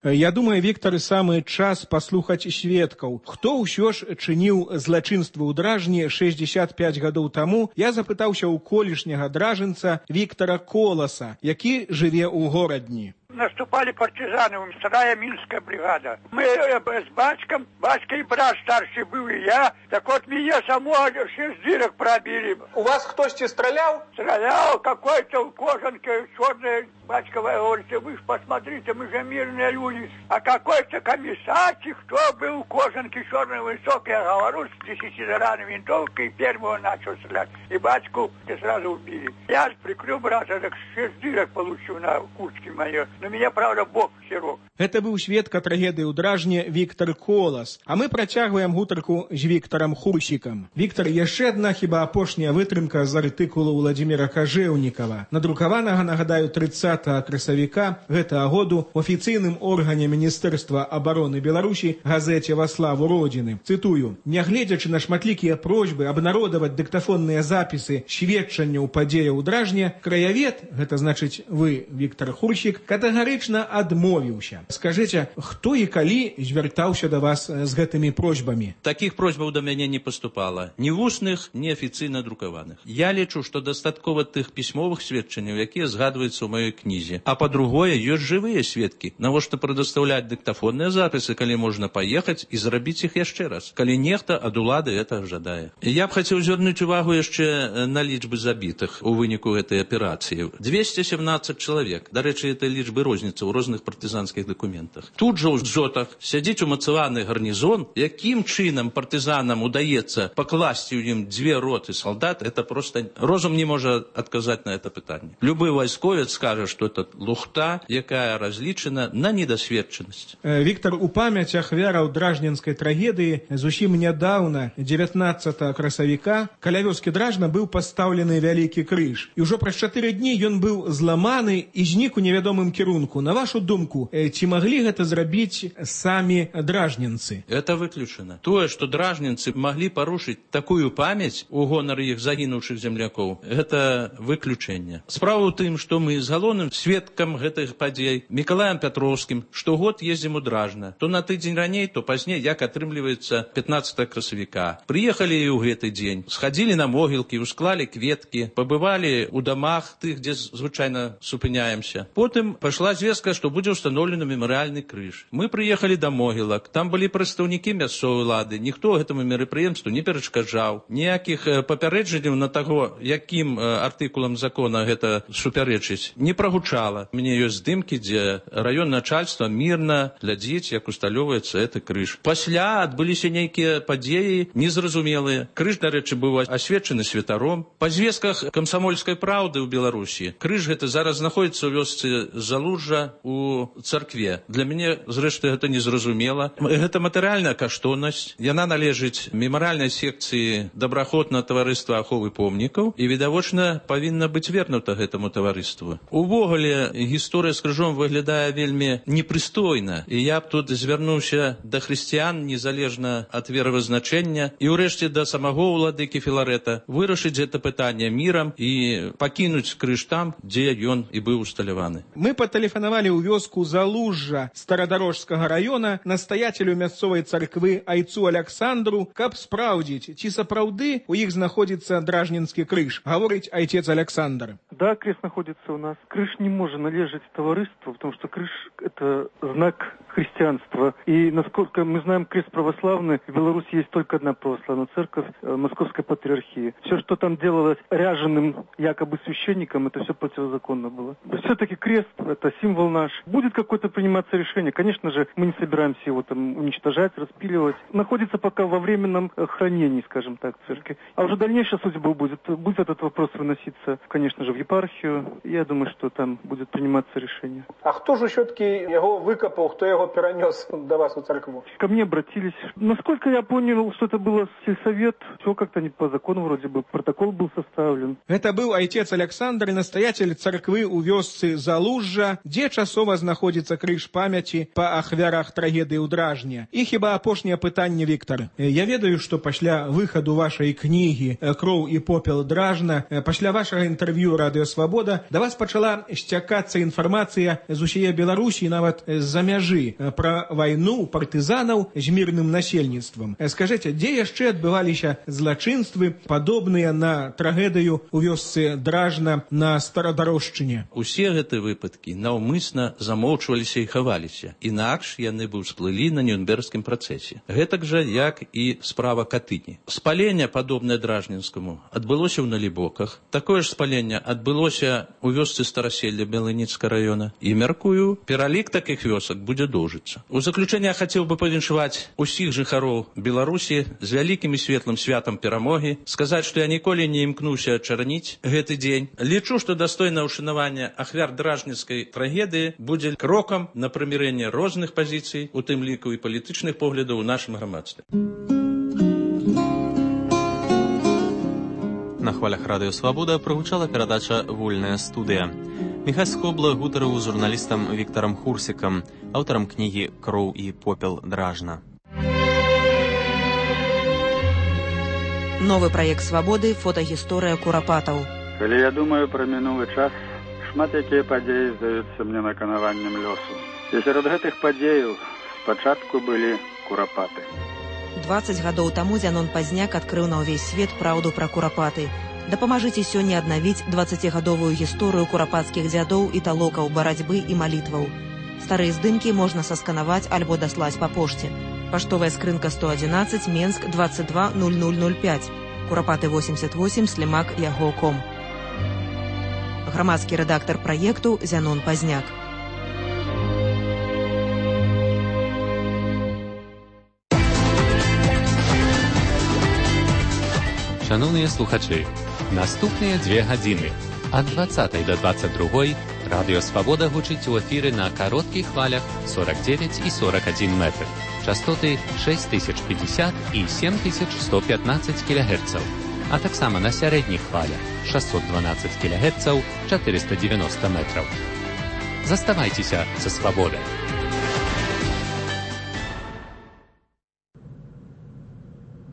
Я думаю, Віктор, самы час паслухаць сведкаў. Хто ўсё ж чыніў злачынствы ў Дражні шэсцьдзесят пяць гадоў таму, я запытаўся ў колішняга дражынца Віктора Коласа, які жыве ў горадні. Наступали партизаны, вторая Минская бригада. Мы с батьком, батька и брат старший был, и я. Так вот меня само шесть дырок пробили. У вас кто-то стрелял? Стрелял какой-то в кожанке черной. Батька говорит, вы ж посмотрите, мы же мирные люди. А какой-то комиссарчик, кто был в кожанке черной высокой, я говорю, с десятидоранной винтовкой, и первого начал стрелять. И батьку сразу убили. Я прикрыл брата, так шесть дырок получил на куртке моей. Но меня, правда, Бог сирок. Это быў сведка трагедыі ў Дражне Віктор Колас. А мы працягваем гутарку з Віктарам Хурсікам. Віктор, яшчэ адна хіба апошняя вытрымка з артыкулу Владзіміра Кажэўнікава, надрукаванага, нагадаю, трыццатага красавіка гэтага году ў афіцыйным органе Міністэрства абароны Беларусі газеце «Во славу Родины». Цытую: «Нягледзячы на шматлікія просьбы абнародаваць дыктафонныя запісы сведчанняў падзеяў у Дражне, краявед, гэта значыць вы, Віктор Хурсік, катэгарычна адмовіўся. Скажыце, хто і калі звяртаўся да вас з гэтымі просьбамі?» Такіх просьбаў да мяне не паступала. Ні вусных, ні афіцыйна друкаваных. Я лічу, што дастаткова тых пісьмовых сведчанняў, якія згадваюцца ў маёй кнізе. А па-другое, ёсць жывыя сведкі. Навошта прадастаўляць дыктафонныя запісы, калі можна паехаць і зрабіць іх яшчэ раз, калі нехта ад улады гэта жадае. Я б хацеў звярнуць увагу яшчэ на лічбы забітых у выніку гэтай аперацыі. двести семнадцать чалавек. Дарэчы, этой лічбы розніца ў розных партызанскіх дакументах. дакументах. Тут жа ў дзотах сядзіць умацаваны гарнізон, якім чынам партызанам удаецца пакласці ў ім дзве роты солдат, это просто розум не можа адказаць на это пытанне. Любы вайсковец скажа, што это лухта, якая разлічана на недасведчанасць. Віктор, у памяць ахвяраў дражненскай трагедыі зусім нядаўна, дзевятнаццатага красавіка, каля вёскі Дражна быў пастаўлены вялікі крыж. І ўжо праз чатыры дні ён быў зламаны і знік у невядомым кірунку. На вашу думку, ці маглі гэта зрабіць самі дражненцы? Это выключана. Тое, што дражненцы маглі парушыць такую памяць у гонар іх загінуўшых землякоў, гэта выключэнне. Справа ў тым, што мы з галоўным сведкам гэтых падзей Мікалаем Пятроўскім штогод ездзім у Дражна. То на тыдзень раней, то пазней, як атрымліваецца пятнаццатага красавіка. Прыехалі і ў гэты дзень, схадзілі на могілкі, усклалі кветкі, пабывалі ў дамах тых, дзе звычайна супыняемся. Потым пайшла звестка, што будзе ўстаноўлены мемарыяльны крыж. Мы прыехалі да могілак, там былі прадстаўнікі мясцовай улады, ніхто гэтаму мерапрыемству не перашкаджаў, ніякіх папярэджанняў на таго, якім артыкулам закона гэта супярэчыць, не прагучала. У мяне ёсць здымкі, дзе раён начальства мірна глядзіць, як усталёўваецца гэты крыж. Пасля адбыліся нейкія падзеі незразумелыя. Крыж, дарэчы, быў асвечаны святаром. Па звестках камсамольскай праўды ў Беларусі крыж гэта зараз знаходзіцца ў вёсцы Залужжа у царкве. Для мяне, зрэшты, гэта незразумела. Гэта матэрыяльная каштоўнасць. Яна належыць мемарыяльнай секцыі добраахвотнага таварыства аховы помнікаў і, відавочна, павінна быць вернута гэтаму таварыству. Увогуле, гісторыя з крыжом выглядае вельмі непрыстойна, і я б тут звярнуўся да хрысціян, незалежна ад веравызначэння, і ўрэшце да самого ўладыкі Філарэта, вырашыць гэта пытанне мірам і пакінуць крыж там, дзе ён і быў усталяваны. Мы патэлефанавалі ў вёску Залужжа Старадарожскага раёна настаяцелю мясцовай царквы айцу Аляксандру, каб спраўдзіць, ці сапраўды у іх знаходзіцца дражненскі крыж, гаворыць айцец Александр. Да, крест находится у нас. Крыж не может належать товариществу, потому что крыж – это знак христианства. И, насколько мы знаем, крест православный, в Беларуси есть только одна православная церковь – Московской патриархии. Все, что там делалось ряженым якобы священником, это все противозаконно было. Все-таки крест – это символ наш. Будет какое-то приниматься решение. Конечно же, мы не собираемся его там уничтожать, распиливать. Находится пока во временном хранении, скажем так, в церкви. А уже дальнейшая судьба будет. Будет этот вопрос выноситься, конечно же, в епархию. Я думаю, что там будет приниматься решение. А кто же все-таки его выкопал, кто его перенес до вас в церкву? Ко мне обратились. Насколько я понял, что это было сельсовет, все как-то не по закону вроде бы, протокол был составлен. Это был отец Александр, настоятель церквы у вёсцы Залужжа, где часово знаходится крыж памяти по ахвярах трагедии у Дражне. И хіба апошняе пытанне, Віктор. Я ведаю, что пасля выходу вашей книги «Кроў и попел Дражна», пасля вашего интервью «Радио Свобода» до вас пачала сцякацца информация з усей Беларусі, нават з-за мяжы, про войну партызанаў з мирным насельніцтвам. Скажите, где яшчэ адбываліся злачынствы, падобныя на трагедыю у вёсцы Дражна на Старадарожшчыне? Усе гэтыя выпадкі наўмысна замоўчваліся і хаваліся. Інакш яны бы ўсплылі на Нюрнбергскім працэсе. Гэтак жа, як і справа Катыні. Спаленне, падобнае Дражненскаму, адбылося ў Налібоках. Такое ж спаленне адбылося ў вёсцы Стараселля Белыніцкага раёна. І, мяркую, пералік такіх вёсак будзе доўжыцца. У заключэнне я хацеў бы павіншаваць усіх жыхароў Беларусі з вялікім і светлым святам перамогі, сказаць, што я ніколі не імкнуўся чарніць гэты дзень. Лічу, што дастойнае ўшанаванне ахвяр дражненскай трагедыі будзе крокам на прымірэнне розных пазіцый, у тым ліку і палітычных поглядаў у нашым грамадстве. На хвалях Радыё Свабода прагучала перадача «Вольная студыя». Міхась Скобла гутарыў з журналістам Віктарам Хурсікам, аўтарам кнігі «Кроў і попел Дражна». Новы праект «Свабоды» – фотагісторыя курапатаў. Калі я думаю пра мінулы час, шмат якія падзеі здаюцца мне наканаваннем лёсу. І сярод гэтых падзеяў спачатку былі курапаты. дваццаць гадоў таму Зянон Пазняк адкрыў на ўвесь свет праўду пра курапаты. Дапамажыце сёння аднавіць дваццацігадовую гісторыю курапацкіх дзядоў і талокаў барацьбы і малітваў. Старыя здымкі можна сасканаваць альбо даслаць па пошце. Паштовая скрынка сто адзінаццаць, Менск, двадцать два ноль ноль ноль пять. Курапаты восемьдесят восемь, слімак яго ком. Грамадскі рэдактар праекту Зянон Пазняк. Шановныя слухачы, наступныя дзве гадзіны ад дваццатай да дваццаць другой радыё Свабода гучыць у эфіры на кароткіх хвалях сорок девять і сорок один метр. Частоты шесть тысяч пятьдесят і семь тысяч сто пятнадцать кілогерцаў, а таксама на сярэдніх хвалях шестьсот двенадцать кілогерцаў, четыреста девяносто метров. Заставайцеся са Свабодай.